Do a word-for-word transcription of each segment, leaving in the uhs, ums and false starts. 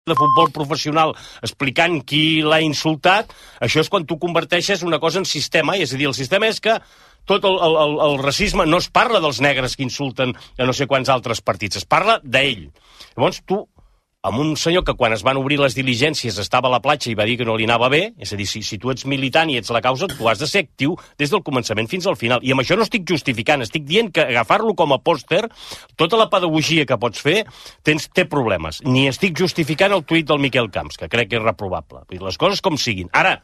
de futbol professional explicant qui l'ha insultat, això és quan tu converteixes una cosa en sistema, és a dir, el sistema és que tot el, el, el racisme no es parla dels negres que insulten a no sé quants altres partits, es parla d'ell. Llavors tu, amb un senyor que quan es van obrir les diligències estava a la platja i va dir que no li anava bé, és a dir, si, si tu ets militant i ets la causa, tu has de ser actiu des del començament fins al final. I amb això no estic justificant, estic dient que agafar-lo com a pòster, tota la pedagogia que pots fer, tens, té problemes. Ni estic justificant el tuit del Miquel Camps, que crec que és reprovable. Les coses com siguin. Ara,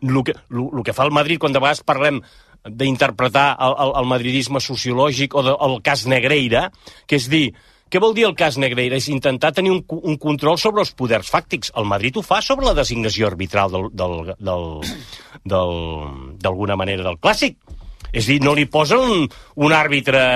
el que, lo, lo que fa el Madrid, quan de vegades parlem d'interpretar el, el, el madridisme sociològic o de, el cas Negreira, que és dir, què vol dir el cas Negreira? És intentar tenir un, un control sobre els poders fàctics. El Madrid ho fa sobre la designació arbitral del, del, del, del, d'alguna manera del Clàssic. És a dir, no li posen un, un àrbitre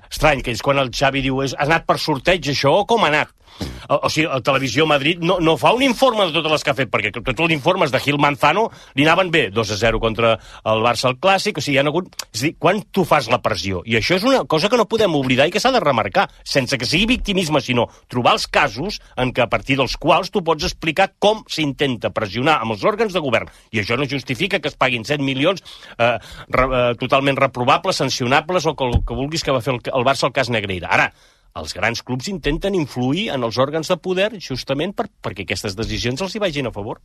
estrany, que és quan el Xavi diu ha anat per sorteig això o com ha anat? O, o sigui, la Televisió Madrid no, no fa un informe de totes les que ha fet, perquè tots els informes de Gil Manzano li anaven bé, dos a zero contra el Barça al Clàssic, o sigui, hi ha hagut... És a dir, quan tu fas la pressió? I això és una cosa que no podem oblidar i que s'ha de remarcar, sense que sigui victimisme, sinó trobar els casos en què a partir dels quals tu pots explicar com s'intenta pressionar amb els òrgans de govern. I això no justifica que es paguin set milions eh, re, eh, totalment reprovables, sancionables o que, que vulguis que va fer el, el Barça al cas Negreira. Ara, els grans clubs intenten influir en els òrgans de poder justament per, perquè aquestes decisions els hi vagin a favor.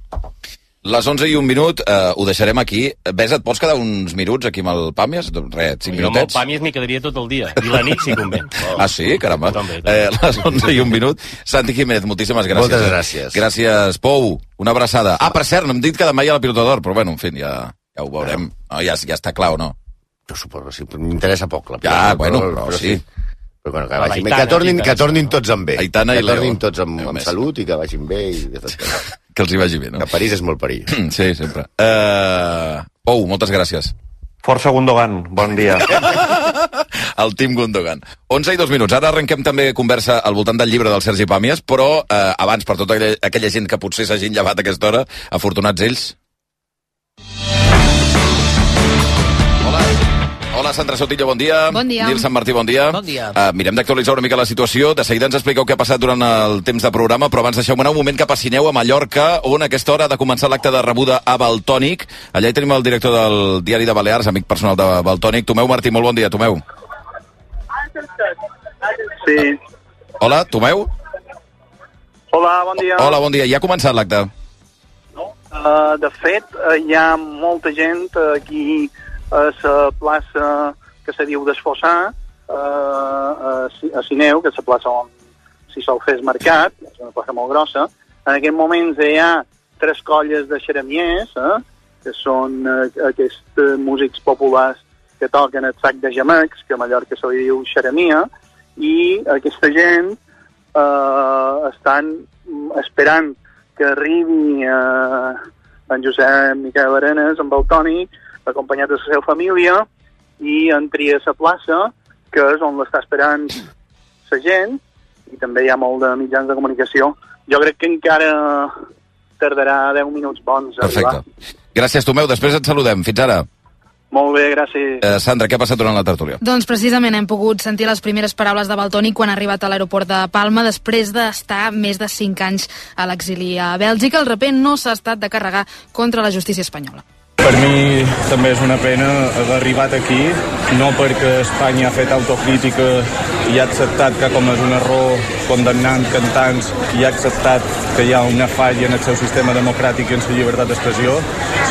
Les onze i un minut, eh, ho deixarem aquí. Ves, et pots quedar uns minuts aquí amb el Pàmies? Res, cinc minutets. Jo amb el Pàmies m'hi quedaria tot el dia. I la nit si convé. Oh. Ah, sí? Caramba. També, també. Eh, les onze i un minut. Santi Jiménez, moltíssimes gràcies. Moltes gràcies. Gràcies, Pou. Una abraçada. Ah, per cert, no hem dit que demà hi ha la Pilota d'Or, però bueno, en fi, ja, ja ho veurem. No, ja, ja està clar o no? Jo suposo que sí, però m'interessa poc la Pilota. Ja, bueno, però, però sí. sí. Però bueno, que, vagin bé, que, tornin, que tornin tots amb bé. Aitana que i Leo. tornin tots amb, amb salut i que vagin bé. I que, que els hi vagi bé, no? Que París és molt perill. Sí, sempre. Uh, Pou, moltes gràcies. Força Gundogan, bon dia. El Team Gundogan. onze i dos minuts. Ara arrenquem també conversa al voltant del llibre del Sergi Pàmies, però eh, abans, per tota aquella, aquella gent que potser s'hagin llevat a aquesta hora, afortunats ells. Hola. Hola, Sandra Sotillo, bon dia. Bon dia. Nil Sant Martí, bon dia. Bon dia. Uh, mirem d'actualitzar una mica la situació. De seguida ens expliqueu què ha passat durant el temps de programa, però abans deixeu-me anar un moment cap a Sineu, a Mallorca, on a aquesta hora ha de començar l'acte de rebuda a Valtònic. Allà hi tenim el director del Diari de Balears, amic personal de Valtònic. Tomeu Martí, molt bon dia, Tomeu. Sí. Hola, Tomeu. Hola, bon dia. Hola, bon dia. Ja ha començat l'acte? No. Uh, de fet, uh, hi ha molta gent aquí a la plaça que se diu d'Esfossar, uh, a Sineu, que és la plaça on s'hi sol fer el mercat, és una plaça molt grossa. En aquest moment hi ha tres colles de xeremiers, eh, que són uh, aquests uh, músics populars que toquen el sac de gemecs, que a Mallorca se li diu xeremia, i aquesta gent uh, estan esperant que arribi uh, en Josep Miquel Arenas, en Valtònic, acompanyat de la seva família, i entri a la plaça, que és on l'està esperant la gent, i també hi ha molt de mitjans de comunicació. Jo crec que encara tardarà deu minuts bons a arribar. Perfecte. Gràcies, Tomeu. Després et saludem. Fins ara. Molt bé, gràcies. Eh, Sandra, què ha passat durant la tertúlia? Doncs precisament hem pogut sentir les primeres paraules de Valtònic quan ha arribat a l'aeroport de Palma després d'estar més de cinc anys a l'exili a Bèlgica. El raper no s'ha estat de carregar contra la justícia espanyola. Per mi també és una pena haver arribat aquí, no perquè Espanya ha fet autocrítica i ha acceptat que ha comès un error condemnant cantants i ha acceptat que hi ha una falla en el seu sistema democràtic i en la llibertat d'expressió,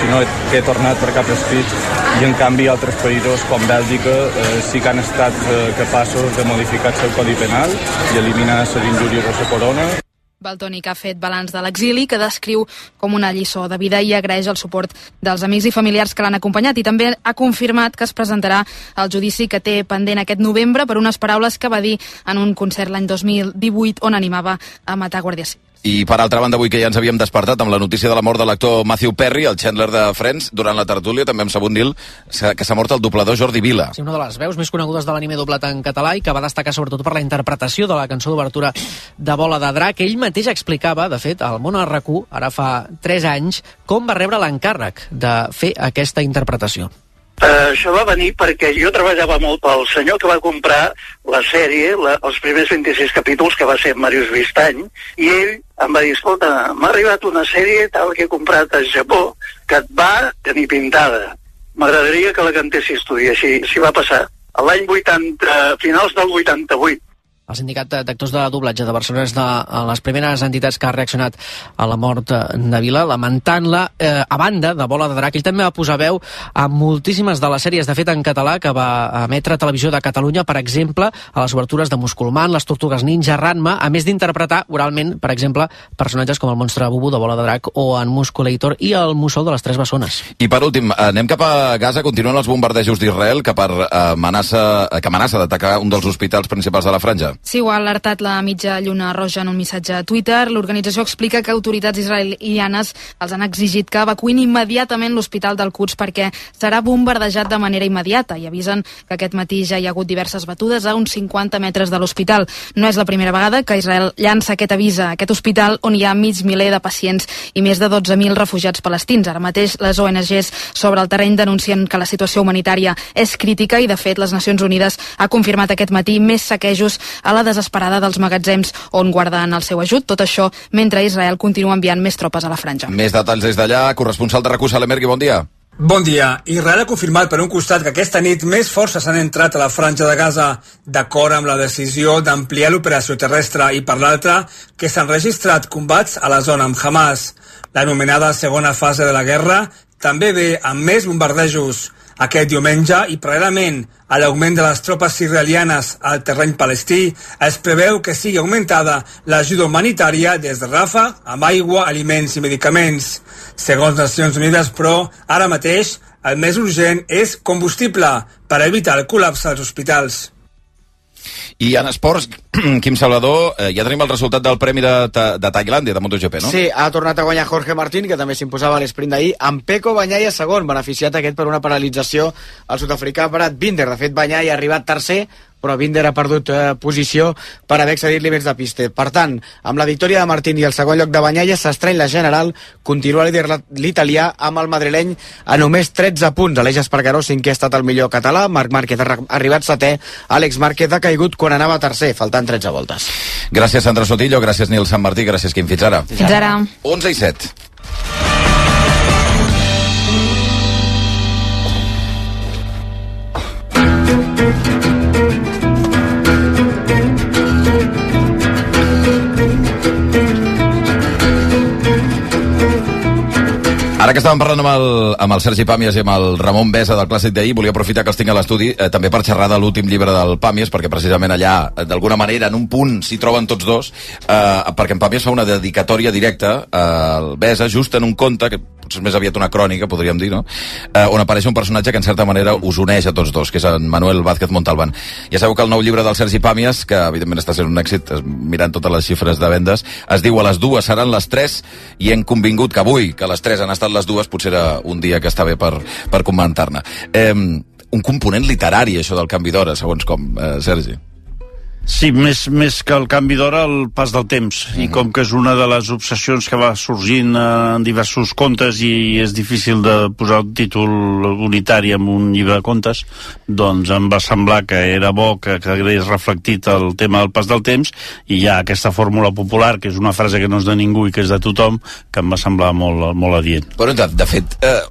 sinó que he tornat per cap escrit i en canvi altres països com Bèlgica eh, sí que han estat eh, capaços de modificar el seu codi penal i eliminar les injúries a la corona. Valtònic ha fet balanç de l'exili, que descriu com una lliçó de vida i agraeix el suport dels amics i familiars que l'han acompanyat, i també ha confirmat que es presentarà al judici que té pendent aquest novembre per unes paraules que va dir en un concert l'any dos mil divuit on animava a matar guàrdies civils. I per altra banda, avui que ja ens havíem despertat amb la notícia de la mort de l'actor Matthew Perry, el Chandler de Friends, durant la tertúlia també hem sabut, Nil, que s'ha mort el doblador Jordi Vila. Sí, una de les veus més conegudes de l'anime doblat en català i que va destacar sobretot per la interpretació de la cançó d'obertura de Bola de Drac. Ell mateix explicava, de fet, al Món R Q, ara fa tres anys, com va rebre l'encàrrec de fer aquesta interpretació. Uh, això va venir perquè jo treballava molt pel senyor que va comprar la sèrie, la, els primers vint-i-sis capítols, que va ser Màrius Vistany, i ell em va dir, escolta, m'ha arribat una sèrie tal que he comprat al Japó, que et va tenir pintada. M'agradaria que la cantessis tu, i així, així va passar. A l'any vuitanta, finals del vuitanta-vuit. El sindicat d'actors de doblatge de Barcelona és de les primeres entitats que ha reaccionat a la mort de Vila, lamentant-la. Eh, a banda de Bola de Drac, ell també va posar veu a moltíssimes de les sèries, de fet en català, que va emetre a Televisió de Catalunya, per exemple, a les obertures de Musculman, Les Tortugues Ninja, Ranma, a més d'interpretar oralment, per exemple, personatges com el monstre Bubu de Bola de Drac o en Musculator i el Mussol de les Tres Bessones. I per últim, anem cap a Gaza. Continuen els bombardejos d'Israel que per amenaça, que amenaça d'atacar un dels hospitals principals de la franja. Sí, ho ha alertat la mitja Lluna Roja en un missatge a Twitter. L'organització explica que autoritats israelianes els han exigit que evacuïn immediatament l'hospital del Quds perquè serà bombardejat de manera immediata i avisen que aquest matí ja hi ha hagut diverses batudes a uns cinquanta metres de l'hospital. No és la primera vegada que Israel llança aquest avís a aquest hospital on hi ha mig miler de pacients i més de dotze mil refugiats palestins. Ara mateix les O N Ges sobre el terreny denuncien que la situació humanitària és crítica i, de fet, les Nacions Unides ha confirmat aquest matí més saquejos a la desesperada dels magatzems on guarden el seu ajut. Tot això mentre Israel continua enviant més tropes a la franja. Més detalls des d'allà. Corresponsal de RAC1, Salem Ergui, bon dia. Bon dia. Israel ha confirmat per un costat que aquesta nit més forces han entrat a la franja de Gaza, d'acord amb la decisió d'ampliar l'operació terrestre, i per l'altra que s'han registrat combats a la zona amb Hamas. L'anomenada segona fase de la guerra també ve amb més bombardejos. Aquest diumenge, i paral·lelament a l'augment de les tropes israelianes al terreny palestí, es preveu que sigui augmentada l'ajuda humanitària des de Rafah amb aigua, aliments i medicaments. Segons Nacions Unides, però, ara mateix el més urgent és combustible per evitar el col·lapse als hospitals. I en esports, Quim Salvador, eh, ja tenim el resultat del Premi de, de Tailàndia, de MotoGP, no? Sí, ha tornat a guanyar Jorge Martín, que també s'imposava a l'esprint d'ahir, amb Pecco Bagnaia segon, beneficiat aquest per una paralització al sud-africà Brad Binder. De fet, Bagnaia ha arribat tercer, però Binder ha perdut eh, posició per haver accedit límits de pista. Per tant, amb la victòria de Martín i el segon lloc de Bagnaia, s'estreny la general, continua líder l'italià amb el madrileny a només tretze punts. Aleix Espargaró, cinquè, ha estat el millor català, Marc Márquez ha arribat setè, Àlex Márquez ha caigut quan anava tercer, faltant tretze voltes. Gràcies, Sandra Sotillo, gràcies, Nil Sant Martí, gràcies, Quim. Fins ara. Fins ara. onze i set. Ara que estàvem parlant amb el, amb el Sergi Pàmies i amb el Ramon Besa del Clàssic d'ahir, volia aprofitar que els tinc a l'estudi eh, també per xerrar de l'últim llibre del Pàmies, perquè precisament allà, d'alguna manera, en un punt s'hi troben tots dos, eh, perquè en Pàmies fa una dedicatòria directa al Besa, just en un conte, que potser més aviat una crònica, podríem dir, no? Eh, on apareix un personatge que en certa manera us uneix a tots dos, que és en Manuel Vázquez Montalbán. Ja sabeu que el nou llibre del Sergi Pàmies, que evidentment està sent un èxit, mirant totes les xifres de vendes, es diu A les dues seran les tres, i hem convingut que avui, que les tres han estat les dues, potser era un dia que està bé per, per comentar-ne. Eh, un component literari, això del canvi d'hora, segons com, eh, Sergi. Sí, més, més que el canvi d'hora, el pas del temps. Mm-hmm. I com que és una de les obsessions que va sorgint en diversos contes i és difícil de posar un títol unitari en un llibre de contes, doncs em va semblar que era bo que quedés reflectit el tema del pas del temps, i hi ha aquesta fórmula popular, que és una frase que no és de ningú i que és de tothom, que em va semblar molt, molt adient. Però, de, de fet, eh,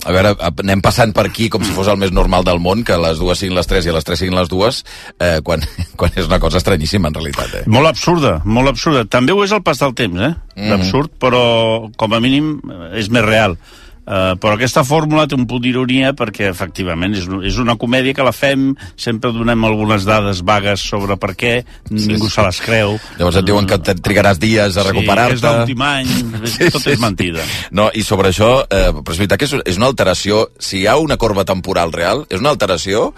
a veure, anem passant per aquí com si fos el més normal del món, que les dues siguin les tres i les tres siguin les dues, eh, quan, quan és una cosa estranyíssima, en realitat. Eh? Molt absurda, molt absurda. També ho és el pas del temps, eh? Mm. D'absurd, però com a mínim és més real. Uh, però aquesta fórmula té un punt d'ironia perquè efectivament és, és una comèdia que la fem, sempre donem algunes dades vagues sobre per què, sí, ningú sí. se les creu. Llavors et diuen que trigaràs dies a recuperar-te. Sí, és l'últim any, sí, tot sí, és mentida. No, i sobre això, eh, però és veritat que és, és una alteració, si hi ha una corba temporal real, és una alteració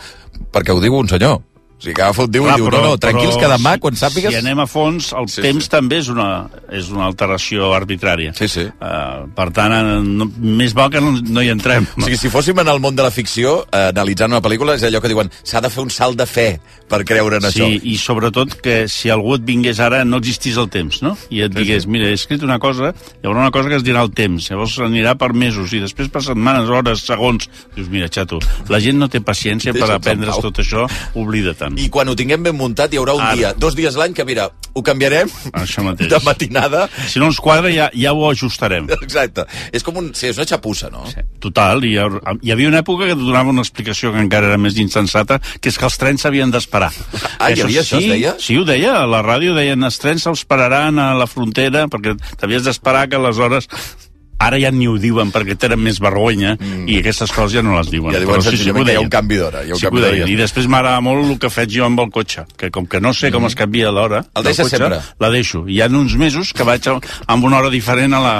perquè ho diu un senyor. O sigui, que agafa un diu i diu, no, no, tranquils, que demà, quan sàpigues... Si anem a fons, el sí, temps sí. també és una, és una alteració arbitrària. Sí, sí. Uh, per tant, no, més val que no, no hi entrem. O sigui, si fóssim en el món de la ficció, eh, analitzant una pel·lícula, és allò que diuen, s'ha de fer un salt de fe per creure en sí, això. Sí, i sobretot que si algú et vingués ara, no existís el temps, no? I et digués, mira, he escrit una cosa, hi haurà una cosa que es dirà el temps, llavors anirà per mesos, i després per setmanes, hores, segons. Dius, mira, xato, la gent no té paciència per aprendre's tot això, oblida-te'n. I quan ho tinguem ben muntat, hi haurà un Ara. dia, dos dies l'any, que mira, ho canviarem això mateix. De matinada. Si no ens quadra, ja, ja ho ajustarem. Exacte. És com un... Sí, és una xapussa, no? Sí. Total. Hi, ha, hi havia una època que et donava una explicació que encara era més insensata, que és que els trens s'havien d'esperar. Ah, hi havia això, sí, es deia? Sí, ho deia. A la ràdio deien, els trens se'ls pararan a la frontera, perquè t'havies d'esperar que aleshores... Ara ja ni ho diuen perquè tenen més vergonya mm. i aquestes coses ja no les diuen. Ja diuen senzillament sí, sí, que hi ha un canvi d'hora. Sí, I després m'agrada molt el que faig jo amb el cotxe, que com que no sé mm. com es canvia l'hora el deixes cotxe, sempre? La deixo. Hi ha uns mesos que vaig amb una hora diferent a la...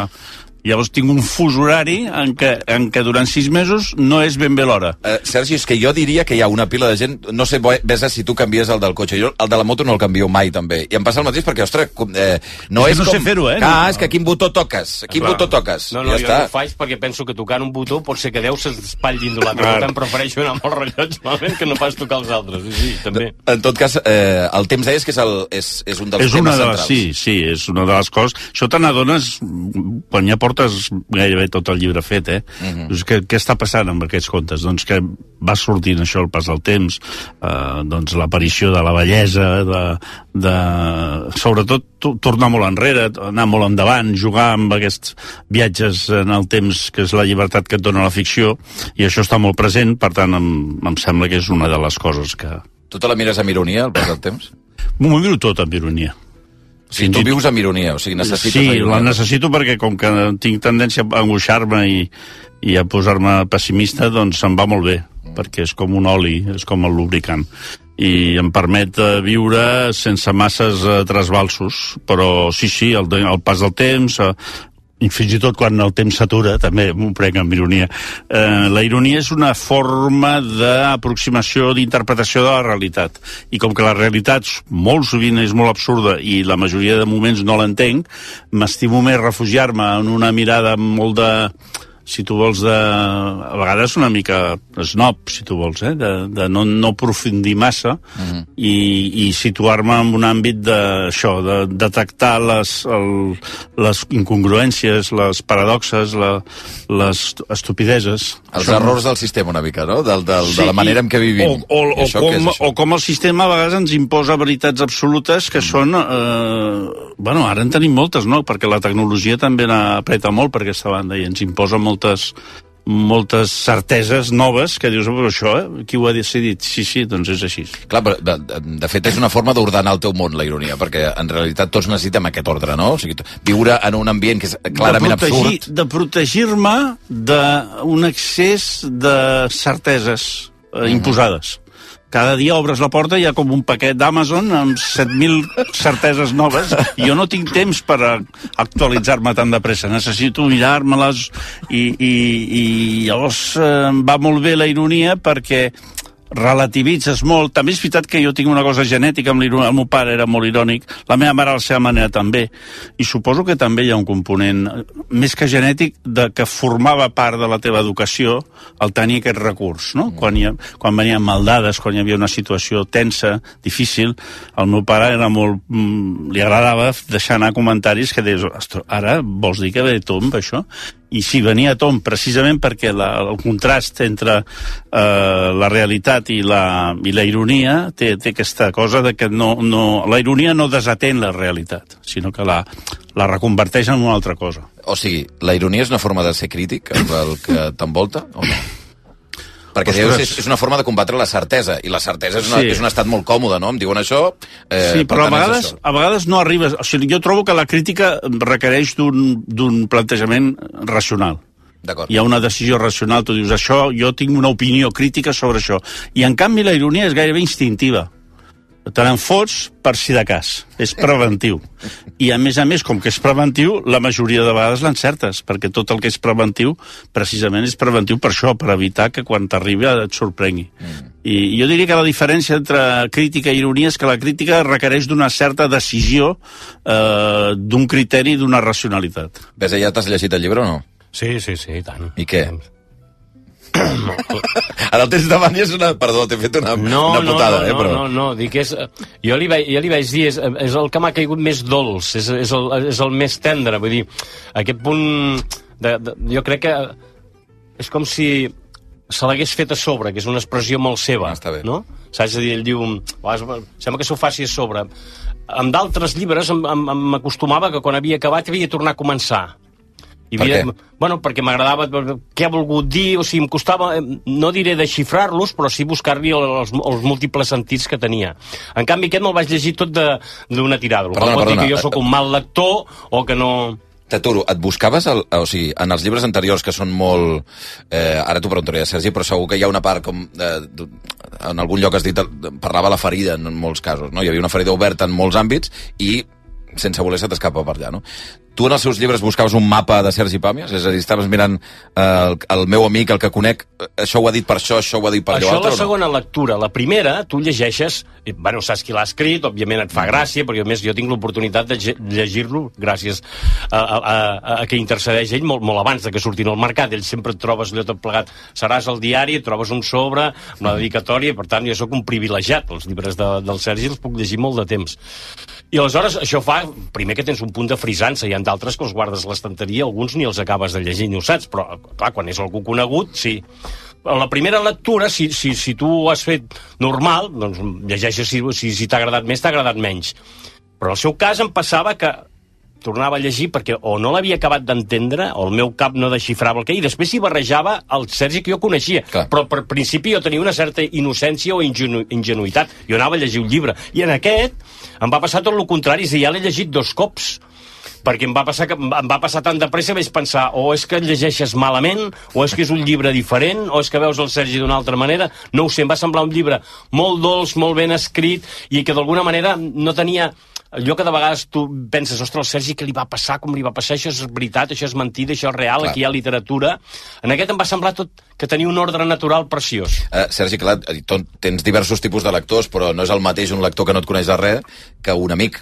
Llavors tinc un fus horari en què, en què durant sis mesos no és ben bé l'hora. Uh, Sergi, és que jo diria que hi ha una pila de gent... No sé, Besa, si tu canvies el del cotxe. Jo el de la moto no el canvio mai, també. I em passa el mateix perquè, ostres, eh, no és, és no com... sé fer-ho, eh? Ah, no. és que quin botó toques? Quin Clar. botó toques? No, no, ja jo està. no ho faig perquè penso que tocant un botó pot ser que Déu s'espatlli de l'altre. Per tant, prefereixo anar amb el rellotge malament que no pas tocar els altres. Sí, també. En tot cas, eh, el temps deies que és, el, és, és un dels és temes de les, centrals. Sí, sí, és una de les coses. Això te n'adones quan ja portes gairebé tot el llibre fet, eh? Uh-huh. Doncs què, què està passant amb aquests contes? Doncs que va sortint això al pas del temps, eh, doncs l'aparició de la bellesa, de, de... sobretot tornar molt enrere, anar molt endavant, jugar amb aquests viatges en el temps, que és la llibertat que et dona la ficció, i això està molt present, per tant, em, em sembla que és una de les coses que... Tu te la mires amb ironia, al pas del temps? M'ho miro tot amb ironia. O sigui, tu vius amb ironia, o sigui, necessites sí, la ironia. la necessito perquè com que tinc tendència a angoixar-me i, i a posar-me pessimista, doncs se'm va molt bé, mm. perquè és com un oli, és com el lubricant. I em permet uh, viure sense masses uh, trasbalsos, però sí, sí, el, el pas del temps... Uh, i fins i tot quan el temps s'atura, també m'ho prenc amb ironia. Eh, la ironia és una forma d'aproximació, d'interpretació de la realitat. I com que la realitat molt sovint és molt absurda i la majoria de moments no l'entenc, m'estimo més refugiar-me en una mirada molt de... si tu vols, de... a vegades una mica snob, si tu vols, eh? de, de no, no aprofundir massa uh-huh. i, i situar-me en un àmbit d'això, de detectar les, el, les incongruències, les paradoxes, la, les estupideses. Els això... errors del sistema una mica, no? Del, del, sí, de la manera en què vivim. O, o, o, com, o com el sistema a vegades ens imposa veritats absolutes que mm. són... Eh, bueno, ara en tenim moltes, no? Perquè la tecnologia també n'apreta molt per aquesta banda i ens imposa molt moltes, moltes certeses noves que dius, però això, eh? Qui ho ha decidit? Sí, sí, doncs és així. Clar, però de, de, de fet és una forma d'ordenar el teu món, la ironia, perquè en realitat tots necessitem aquest ordre, no? O sigui, viure en un ambient que és clarament de protegir, absurd. De protegir-me d'un excés de certeses eh, uh-huh. imposades. Cada dia obres la porta i hi ha com un paquet d'Amazon amb set mil certeses noves i jo no tinc temps per actualitzar-me tan de pressa. Necessito mirar-me-les i, i, i llavors eh, va molt bé la ironia perquè relativitzes molt. També és veritat que jo tinc una cosa genètica amb l'ironia. El meu pare era molt irònic, la meva mare a la seva manera també, i suposo que també hi ha un component més que genètic de que formava part de la teva educació el tenir aquest recurs, no? Mm. Quan, hi ha, quan venien maldades, quan hi havia una situació tensa, difícil, el meu pare era molt... Mm, li agradava deixar anar comentaris que deies, ara vols dir que ve tomb, això? I sí, venia a tom precisament perquè la, el contrast entre eh, la realitat i la, i la ironia té, té aquesta cosa de que no, no, la ironia no desatén la realitat, sinó que la, la reconverteix en una altra cosa. O sigui, la ironia és una forma de ser crític amb el que t'envolta, o no? Perquè Ostres. Dius, és una forma de combatre la certesa, i la certesa és, una, sí. és un estat molt còmode, no? Em diuen això... Eh, sí, però a vegades, a vegades no arribes... O sigui, jo trobo que la crítica requereix d'un plantejament racional. Hi ha una decisió racional, tu dius, això, jo tinc una opinió crítica sobre això. I en canvi la ironia és gairebé instintiva. te n'en fots per si de cas. És preventiu. I, a més a més, com que és preventiu, la majoria de vegades l'encertes, perquè tot el que és preventiu, precisament és preventiu per això, per evitar que quan t'arribi et sorprengui. Mm. I jo diria que la diferència entre crítica i ironia és que la crítica requereix d'una certa decisió, eh, d'un criteri i d'una racionalitat. Ves, ja t'has llegit el llibre o no? Sí, sí, sí, i tant. I què? Ara el tens davant i és una... Perdó, t'he fet una, no, una putada, no, no, eh, però... No, no, no, dic és... Jo li, vaig, jo li vaig dir, és, és el que m'ha caigut més dolç, és, és, el, és el més tendre, vull dir, aquest punt... De, de, jo crec que és com si se l'hagués fet a sobre, que és una expressió molt seva, ah, no? Saps a dir, ell diu... Sembla que s'ho faci a sobre. Amb d'altres llibres m'acostumava que quan havia acabat havia de tornar a començar. I per havia, què? Bueno, perquè m'agradava què ha volgut dir, o sigui, em costava, no diré desxifrar-los, però sí buscar-li els, els múltiples sentits que tenia. En canvi, aquest me'l vaig llegir tot d'una tirada. Perdona, pot perdona. dir que jo sóc un mal lector o que no... T'aturo, et buscaves, el, o sigui, en els llibres anteriors que són molt... Eh, ara t'ho preguntaré, Sergi, però segur que hi ha una part com... Eh, en algun lloc has dit, parlava la ferida en molts casos, no? Hi havia una ferida oberta en molts àmbits i sense voler se t'escapa per allà, no? Tu en els seus llibres buscaves un mapa de Sergi Pàmies? És a dir, estaves mirant eh, el, el meu amic, el que conec, això ho ha dit per això, això ho ha dit per allò això altre, la segona lectura. La primera, tu llegeixes, i, bueno, saps qui l'ha escrit, òbviament et fa gràcia, perquè a més jo tinc l'oportunitat de llegir-lo gràcies a, a, a, a que intercedeix ell molt, molt abans de que surtin al mercat. Ell sempre et trobes allò tot plegat. Seràs al diari, et trobes un sobre, una dedicatòria, per tant, jo sóc un privilegiat. Els llibres de, del Sergi els puc llegir molt de temps. I aleshores això fa, primer que tens un punt de frisança, hi ha d'altres que els guardes a l'estanteria, alguns ni els acabes de llegir ni ho saps, però clar, quan és algú conegut, sí. A la primera lectura, si, si, si tu ho has fet normal, doncs llegeixes si, si, si t'ha agradat més, t'ha agradat menys. Però en el seu cas em passava que tornava a llegir perquè o no l'havia acabat d'entendre o el meu cap no desxifrava el que... I després s'hi barrejava el Sergi que jo coneixia. Clar. Però per principi jo tenia una certa innocència o ingenu ingenuïtat. Jo anava a llegir un llibre. I en aquest em va passar tot el contrari. És a dir, ja l'he llegit dos cops. Perquè em va passar que em va passar tan de pressa, vaig pensar o és que el llegeixes malament, o és que és un llibre diferent, o és que veus el Sergi d'una altra manera. No ho sé, em va semblar un llibre molt dolç, molt ben escrit, i que d'alguna manera no tenia... Allò que de vegades tu penses, ostres, el Sergi, què li va passar, com li va passar, això és veritat, això és mentida, això és real, clar. Aquí hi ha literatura. En aquest em va semblar tot que tenia un ordre natural preciós. Uh, Sergi, clar, tens diversos tipus de lectors, però no és el mateix un lector que no et coneix de res que un amic.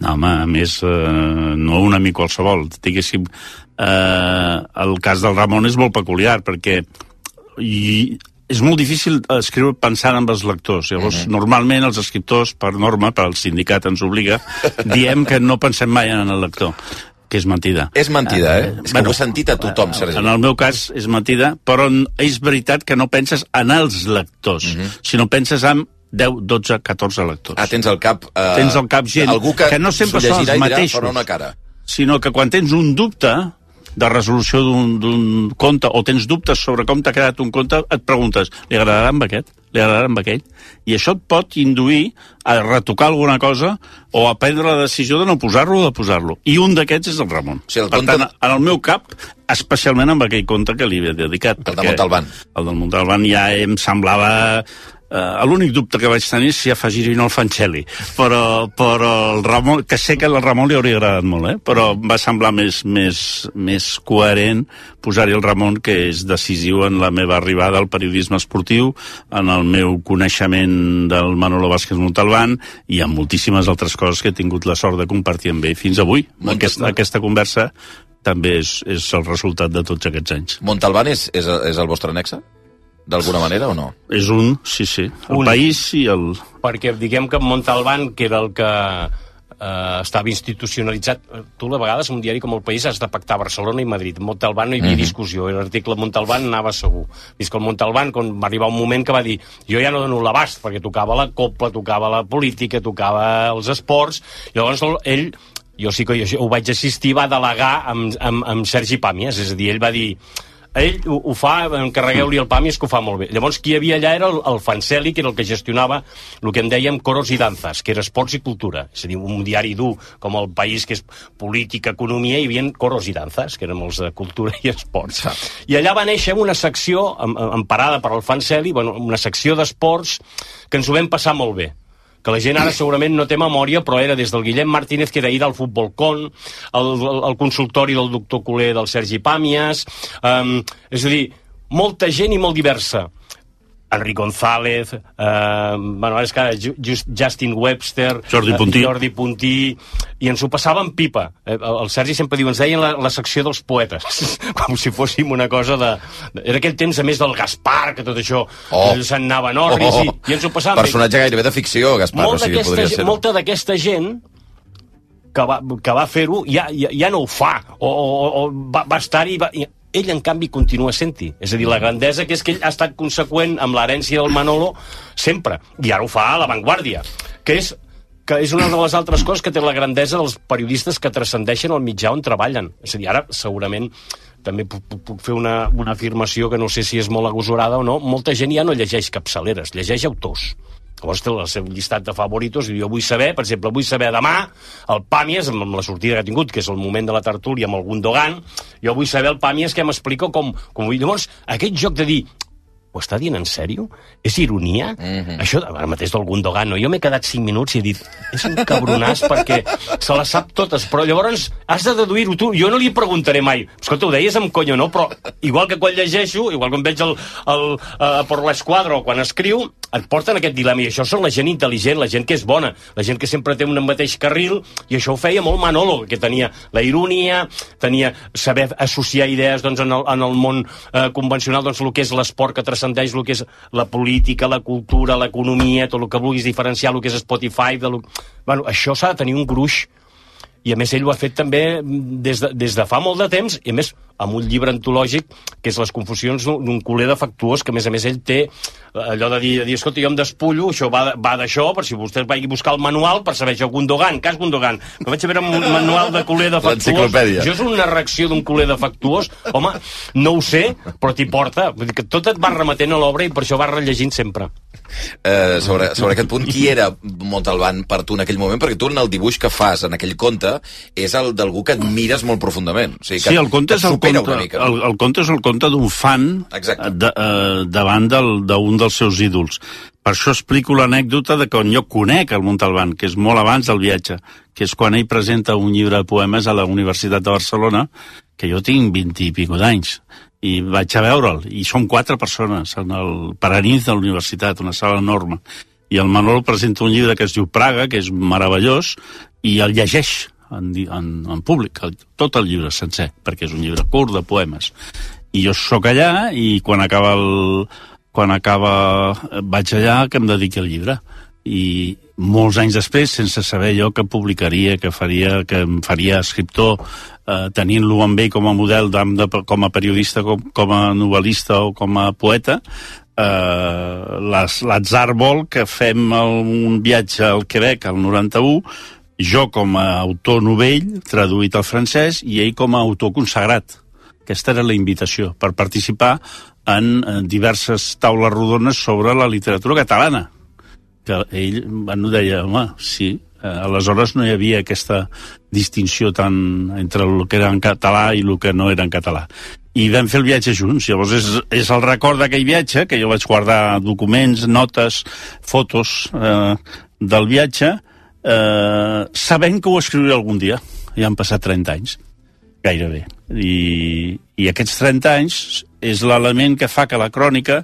No, home, a més, eh, no un amic qualsevol. Diguéssim, eh, el cas del Ramon és molt peculiar, perquè i, és molt difícil escriure pensant en els lectors. Llavors, uh-huh. normalment els escriptors, per norma, per al sindicat ens obliga, diem que no pensem mai en el lector, que és mentida. És mentida, eh? Uh, és que bueno, ho he sentit a tothom, Sergi. En el meu cas és mentida, però és veritat que no penses en els lectors, uh-huh. sinó penses en deu, dotze, catorze lectors. Ah, tens al cap... Uh, tens al cap gent algú que, que no sempre són els mateixos, dirà, una cara. Sinó que quan tens un dubte de resolució d'un conte, o tens dubtes sobre com t'ha quedat un conte, et preguntes, li agradarà amb aquest? Li agradarà amb aquell? I això et pot induir a retocar alguna cosa o a prendre la decisió de no posar-lo o de posar-lo. I un d'aquests és el Ramon. Sí, el per conte... tant, en el meu cap, especialment amb aquell conte que li he dedicat. El de Montalbán. El del Montalbán ja em semblava... Uh, l'únic dubte que vaig tenir és si afegir-hi no el Fancelli, però, però el Ramon, que sé que al Ramon li hauria agradat molt, eh? Però va semblar més, més, més coherent posar-hi el Ramon, que és decisiu en la meva arribada al periodisme esportiu, en el meu coneixement del Manolo Vázquez Montalbán i en moltíssimes altres coses que he tingut la sort de compartir amb ell fins avui. Aquesta, aquesta conversa també és, és el resultat de tots aquests anys. Montalbán és, és, és el vostre nexe? D'alguna manera o no? És un, sí, sí. El un. País i el... Perquè diguem que Montalbán, que era el que eh, estava institucionalitzat, tu a vegades un diari com El País has de pactar Barcelona i Madrid. Montalbán no hi havia mm-hmm. discussió, l'article Montalbán anava segur. Fins que el Montalbán, quan va arribar un moment que va dir jo ja no dono l'abast, perquè tocava la copla, tocava la política, tocava els esports, llavors ell, jo sí que jo ho vaig assistir, va delegar amb, amb, amb Sergi Pàmies, és a dir, ell va dir... Ell ho, ho fa, encarregueu-li el Pàmies, que ho fa molt bé. Llavors, qui hi havia allà era el, el Fancelli, que era el que gestionava el que en dèiem Coros i Danzas, que era esports i cultura. És a dir, un diari dur com El País, que és política, economia, hi havia Coros i Danzas, que eren els de cultura i esports. I allà va néixer una secció, emparada per el Fancelli, bueno, una secció d'esports, que ens ho vam passar molt bé. que la gent ara segurament no té memòria, però era des del Guillem Martínez, que era ir al Futbol Con, el, el, el consultori del doctor Culer del Sergi Pàmies, um, és a dir, molta gent i molt diversa. Enric González, eh, bueno, ara és que ara Just, Justin Webster, Jordi Puntí. Eh, Jordi Puntí, i ens ho passàvem pipa. Eh, el, el Sergi sempre diu, ens deien la, la secció dels poetes, com si fóssim una cosa de... Era aquell temps, a més, del Gaspar, que tot això oh. se'n anava en orris, oh, oh. I, i ens ho passàvem... Personatge bé. Gairebé de ficció, Gaspar, Molt o sigui, podria ser... Molta d'aquesta gent que va, que va fer-ho ja, ja, ja no ho fa, o, o, o va, va estar-hi... Va, ell, en canvi, continua sent-hi. És a dir, la grandesa que és que ell ha estat conseqüent amb l'herència del Manolo sempre, i ara ho fa a l'avantguàrdia, que és, que és una de les altres coses que té la grandesa dels periodistes que transcendeixen el mitjà on treballen. És a dir, ara, segurament, també puc, puc fer una, una afirmació que no sé si és molt agosarada o no, molta gent ja no llegeix capçaleres, llegeix autors. Llavors té el seu llistat de favoritos i jo vull saber, per exemple, vull saber demà el Pàmies, amb la sortida que ha tingut, que és el moment de la tertúlia amb el Gundogan, jo vull saber el Pàmies que m'explica com, com vull. Llavors, aquest joc de dir, ho està dient en sèrio? És ironia? Mm-hmm. Això, ara mateix del Gundogan, no? Jo m'he quedat cinc minuts i he dit, és un cabronàs perquè se les sap totes, però llavors has de deduir-ho tu. Jo no li preguntaré mai, escolta, ho deies amb conya, no? Però igual que quan llegeixo, igual que em veig el, el, uh, per l'esquadra o quan escriu, et porten aquest dilema, i això són la gent intel·ligent, la gent que és bona, la gent que sempre té un mateix carril, i això ho feia molt Manolo, que tenia la ironia, tenia saber associar idees doncs, en, el, en el món eh, convencional, doncs el que és l'esport que transcendeix, el que és la política, la cultura, l'economia, tot el que vulguis diferenciar, el que és Spotify, de lo... bueno, això s'ha de tenir un gruix, i a més ell ho ha fet també des de, des de fa molt de temps, i a més amb un llibre antològic que és Les confusions d'un culer defectuós, que a més a més ell té allò de dir, de dir escolta, jo em despullo, això va, va d'això, per si vostès vagi a buscar el manual per saber això, Gundogan, cas Gundogan, no vaig a veure un manual de culer defectuós, això és una reacció d'un culer defectuós, home, no ho sé, però t'hi porta, vull dir que tot et va remetent a l'obra i per això vas rellegint sempre. Eh, sobre, sobre aquest punt, qui era Montalbán per tu en aquell moment? Perquè tu en el dibuix que fas en aquell conte és el d'algú que admires molt profundament. O sigui, que, sí, el conte és el conte, mica, no? el, el conte és el conte d'un fan de, eh, davant d'un dels seus ídols. Per això explico l'anècdota de quan jo conec el Montalbán, que és molt abans del viatge, que és quan ell presenta un llibre de poemes a la Universitat de Barcelona, que jo tinc vint i pico d'anys, i vaig a veure'l, i som quatre persones en el Paranís de la universitat, una sala enorme, i el Manolo presenta un llibre que es diu Praga, que és meravellós, i el llegeix en, en, en públic, el, tot el llibre sencer, perquè és un llibre curt de poemes. I jo sóc allà, i quan acaba el... quan acaba... vaig allà que em dediqui al llibre. I molts anys després, sense saber jo que publicaria, que faria, que em faria escriptor, eh, tenint-lo amb ell com a model, de, de, com a periodista, com, com a novel·lista o com a poeta, eh, l'atzar vol que fem un viatge al Quebec al noranta-u, jo com a autor novell, traduït al francès, i ell com a autor consagrat. Aquesta era la invitació, per participar en, en diverses taules rodones sobre la literatura catalana. Que ell bueno, deia, home, sí, eh, aleshores no hi havia aquesta distinció tan entre el que era en català i el que no era en català. I vam fer el viatge junts, llavors és, és el record d'aquell viatge, que jo vaig guardar documents, notes, fotos eh, del viatge, eh, sabent que ho escriuré algun dia. Ja han passat trenta anys, gairebé. I, i aquests trenta anys és l'element que fa que la crònica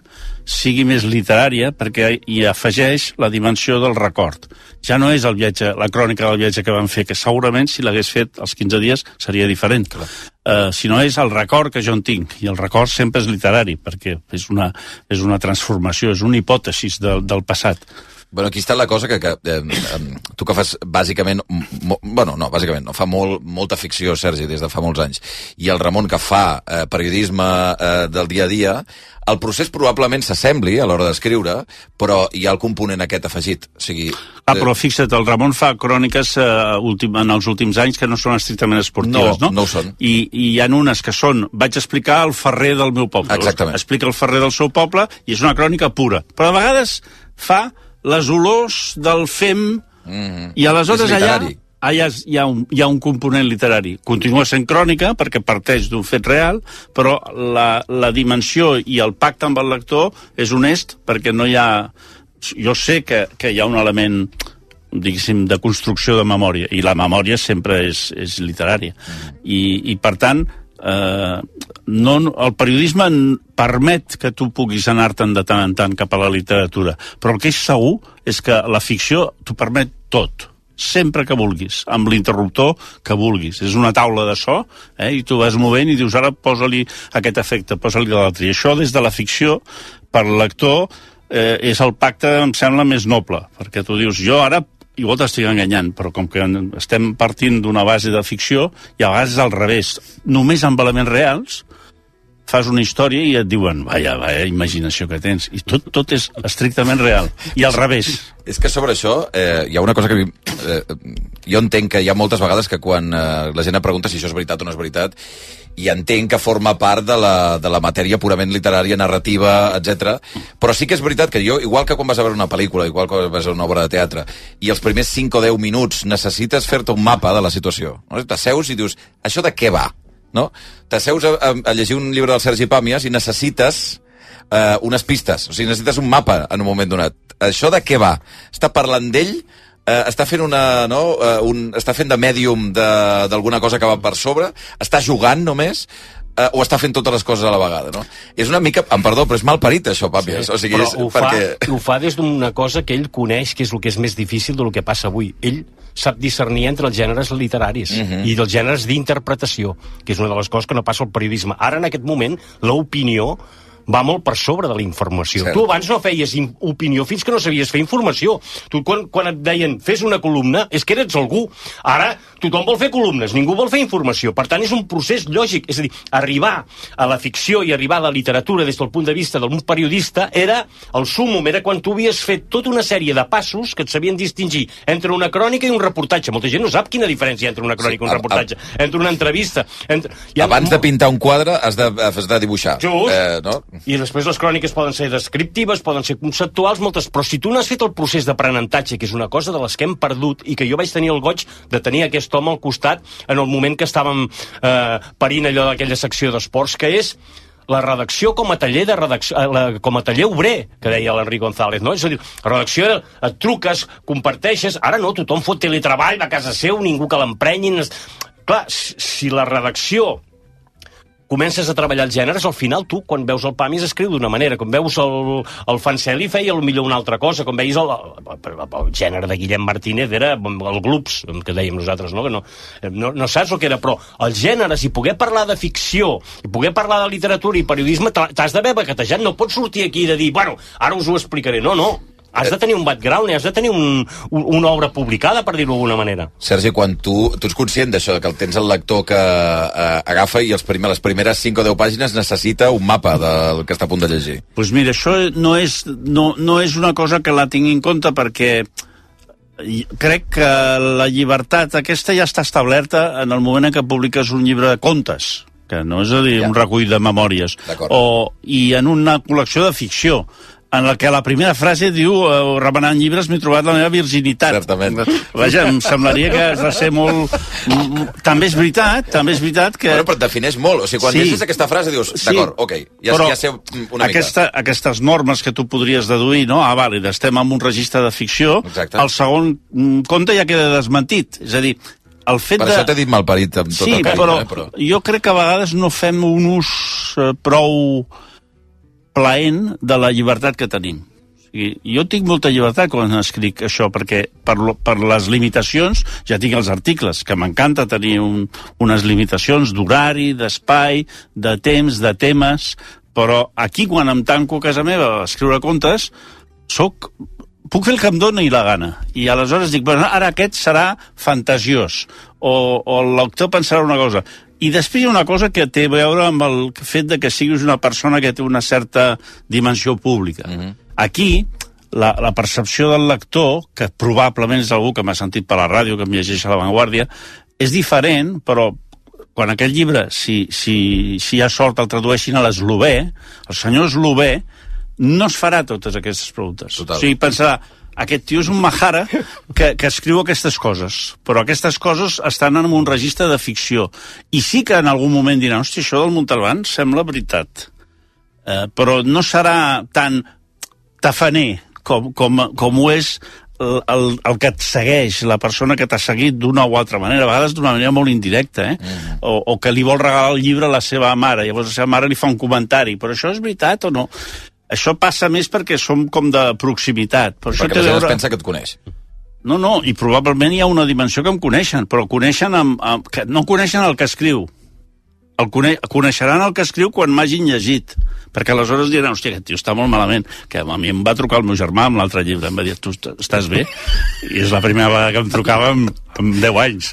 sigui més literària perquè hi afegeix la dimensió del record. Ja no és el viatge, la crònica del viatge que vam fer, que segurament si l'hagués fet als quinze dies seria diferent. Uh, sinó és el record que jo en tinc, i el record sempre és literari perquè és una, és una transformació, és una hipòtesi del, del passat. Bueno, aquí està la cosa que, que eh, tu que fas bàsicament, mo, bueno, no, bàsicament no, fa molt, molta ficció, Sergi, des de fa molts anys, i el Ramon que fa eh, periodisme eh, del dia a dia, el procés probablement s'assembli a l'hora d'escriure, però hi ha el component aquest afegit. O sigui, ah, però fixa't, el Ramon fa cròniques eh, últim, en els últims anys que no són estrictament esportives, no? No, no ho són. I, I hi ha unes que són, vaig explicar el ferrer del meu poble. Exactament. Explica el ferrer del seu poble i és una crònica pura. Però a vegades fa les olors del fem, mm-hmm. i aleshores allà, allà hi, ha un, hi ha un component literari. Continua sent crònica perquè parteix d'un fet real, però la, la dimensió i el pacte amb el lector és honest perquè no hi ha jo sé que, que hi ha un element, diguéssim, de construcció de memòria, i la memòria sempre és, és literària. I, i per tant, eh, no, el periodisme permet que tu puguis anar-te'n de tant en tant cap a la literatura, però el que és segur és que la ficció t'ho permet tot, sempre que vulguis, amb l'interruptor que vulguis. És una taula de so, eh, i tu vas movent i dius, ara posa-li aquest efecte, posa-li l'altre. I això, des de la ficció, per lector, eh, és el pacte, em sembla, més noble, perquè tu dius, jo ara igual t'estic enganyant, però com que estem partint d'una base de ficció, i a vegades al revés, només amb elements reals, fas una història i et diuen, vaja, vaja, imaginació que tens. I tot, tot és estrictament real. I al revés. És que sobre això eh, hi ha una cosa que... Eh, jo entenc que hi ha moltes vegades que quan eh, la gent em pregunta si això és veritat o no és veritat, i entenc que forma part de la, de la matèria purament literària, narrativa, etcètera. Però sí que és veritat que jo, igual que quan vas a veure una pel·lícula, igual que vas a veure una obra de teatre, i els primers cinc o deu minuts necessites fer-te un mapa de la situació. No? T'asseus i dius, això de què va? No? T'asseus a, a, a llegir un llibre del Sergi Pàmies i necessites eh, unes pistes, o sigui, necessites un mapa en un moment donat. Això de què va? Està parlant d'ell? Eh, està fent una, no? eh, un, està fent de mèdium d'alguna cosa que va per sobre? Està jugant només? Eh, o està fent totes les coses a la vegada, no? És una mica, em perdó, però és malparit això, Pàmies. Sí, o sigui, però és, ho, perquè... fa, ho fa des d'una cosa que ell coneix, que és el que és més difícil del que passa avui. Ell sap discernir entre els gèneres literaris uh -huh. i els gèneres d'interpretació, que és una de les coses que no passa al periodisme. Ara, en aquest moment, l'opinió va molt per sobre de la informació. Cert. Tu abans no feies opinió fins que no sabies fer informació. Tu, quan, quan et deien fes una columna, és que eres algú. Ara tothom vol fer columnes, ningú vol fer informació. Per tant, és un procés lògic. És a dir, arribar a la ficció i arribar a la literatura des del punt de vista d'un periodista era el súmmum, era quan tu havies fet tota una sèrie de passos que et sabien distingir entre una crònica i un reportatge. Molta gent no sap quina diferència hi ha entre una crònica sí, i un reportatge, a, a... entre una entrevista. Entre... Abans de pintar un quadre has de, has de dibuixar. Just. Eh, no? I després les cròniques poden ser descriptives, poden ser conceptuals, moltes, però si tu no has fet el procés d'aprenentatge, que és una cosa de les que hem perdut i que jo vaig tenir el goig de tenir aquest home al costat en el moment que estàvem eh, parint allò d'aquella secció d'esports, que és la redacció com a taller de redacció, la, com a taller obrer, que deia l'Enric González, no? És a dir, la redacció, et truques, comparteixes, ara no, tothom fot teletreball a casa seu, ningú que l'emprenyin. Clar, si la redacció comences a treballar els gèneres, al final tu, quan veus el Pàmies, escriu d'una manera, quan veus el, el Fancelli feia millor una altra cosa, quan veus el, el, el gènere de Guillem Martínez era el Glups, que dèiem nosaltres, no? Que no, no, no saps el que era, però els gèneres, i poder parlar de ficció, i poder parlar de literatura i periodisme, t'has d'haver baquetejat, no pots sortir aquí de dir, bueno, ara us ho explicaré, no, no. Has de tenir un background, has de tenir un, un, una obra publicada, per dir-ho d'alguna manera. Sergi, quan tu, tu ets conscient d'això, que el tens el lector que eh, agafa i els primer, les primeres cinc o deu pàgines necessita un mapa del que està a punt de llegir? Doncs pues mira, això no és, no, no és una cosa que la tingui en compte, perquè crec que la llibertat aquesta ja està establerta en el moment en què publiques un llibre de contes, que no és a dir, ja. un recull de memòries, o, i en una col·lecció de ficció, en la que la primera frase diu uh, remenant llibres m'he trobat la meva virginitat. Certament. Vaja, em semblaria que has de ser molt... També és veritat, també és veritat que... Bueno, però et defineix molt. O sigui, quan sí. llegis aquesta frase dius, sí. d'acord, ok, ja, ja sé una aquesta, mica. Aquestes normes que tu podries deduir, no? Ah, vàlid, estem en un registre de ficció, Exacte. El segon conte ja queda desmentit. És a dir, el fet per de... això t'he dit malparit amb tot sí, el carinyo. Però, eh, però jo crec que a vegades no fem un ús eh, prou plaent de la llibertat que tenim. O sigui, jo tinc molta llibertat quan escric això, perquè per, lo, per les limitacions ja tinc els articles, que m'encanta tenir un, unes limitacions d'horari, d'espai, de temps, de temes, però aquí quan em tanco a casa meva a escriure contes, soc... puc fer el que em doni la gana. I aleshores dic, bueno, ara aquest serà fantasiós, o, o el lector pensarà una cosa. I després hi ha una cosa que té a veure amb el fet de que siguis una persona que té una certa dimensió pública. Uh-huh. Aquí, la, la percepció del lector, que probablement és algú que m'ha sentit per la ràdio, que em llegeix a La Vanguardia, és diferent, però quan aquest llibre, si, si, si hi ha sort, el tradueixin a l'eslovè, el senyor eslovè no es farà totes aquestes preguntes. Total. O sigui, pensarà, aquest tio és un mahara que, que escriu aquestes coses, però aquestes coses estan en un registre de ficció. I sí que en algun moment dirà, hòstia, això del Montalbán sembla veritat. Eh, però no serà tan tafaner com, com, com ho és el, el, el que et segueix, la persona que t'ha seguit d'una o altra manera, a vegades d'una manera molt indirecta, eh? Mm. O, o que li vol regalar el llibre a la seva mare, llavors la seva mare li fa un comentari, però això és veritat o no? Això passa més perquè som com de proximitat. Per perquè això la gent veure... es pensa que et coneix. No, no, i probablement hi ha una dimensió que em coneixen, però coneixen amb, amb, que no coneixen el que escriu. El cone... Coneixeran el que escriu quan m'hagin llegit, perquè aleshores diran, hòstia, aquest tio està molt malament, que a mi em va trucar el meu germà amb l'altre llibre, em va dir, tu estàs bé? I és la primera vegada que em trucava amb, amb deu anys.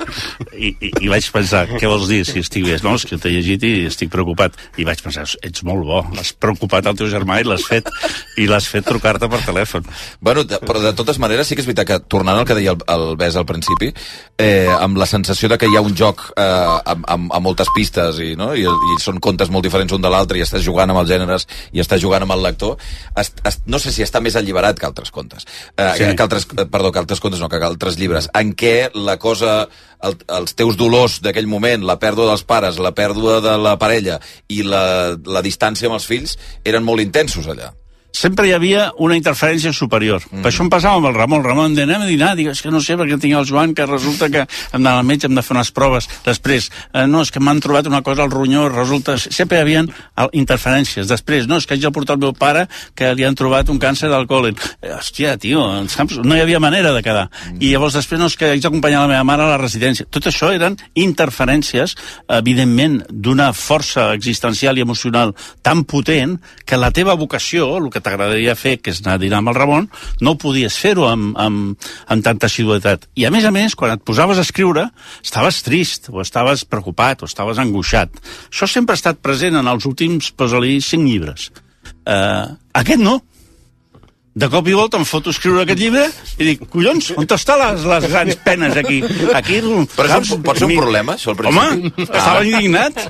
I, i, I vaig pensar, què vols dir si estic bé? No, és que t'he llegit i estic preocupat. I vaig pensar, ets molt bo, l'has preocupat al teu germà i l'has fet, i l'has fet trucar-te per telèfon. Bueno, de, però de totes maneres sí que és veritat que, tornant al que deia el, el Bes al principi, eh, amb la sensació de que hi ha un joc eh, amb, amb, amb moltes pistes i, no? I, i són contes molt diferents un de l'altre i estàs jugant amb els gèneres i estàs jugant amb el lector, es, es, no sé si està més alliberat que altres contes. Eh, sí. que altres, perdó, que altres contes no, que altres llibres, en què la cosa, el, els teus dolors d'aquell moment, la pèrdua dels pares, la pèrdua de la parella i la, la distància amb els fills eren molt intensos allà. Sempre hi havia una interferència superior. Mm. Per això em passava amb el Ramon. El Ramon deia, anem a dinar, dic, és que no sé, perquè tinc el Joan, que resulta que hem d'anar al metge, hem de fer unes proves. Després, eh, no, és que m'han trobat una cosa al ronyó, resulta... Sempre hi havia interferències. Després, no, és que haig de portar el meu pare, que li han trobat un càncer al còlen. Eh, hòstia, tio, saps? No hi havia manera de quedar. Mm. I llavors després, no, és que haig d'acompanyar la meva mare a la residència. Tot això eren interferències, evidentment, d'una força existencial i emocional tan potent que la teva vocació, el que t'agradaria fer, que és anar a dinar amb el Ramon, no podies fer-ho amb, amb, amb tanta assiduïtat. I a més a més, quan et posaves a escriure, estaves trist, o estaves preocupat, o estaves angoixat. Això sempre ha estat present en els últims, posa-li, cinc llibres. Uh, aquest no. De cop i volta em foto escriure aquest llibre i dic, collons, on estan les, les grans penes aquí? aquí Però saps, això pot ser un mi... problema, això, al principi? Home, ah. estava indignat.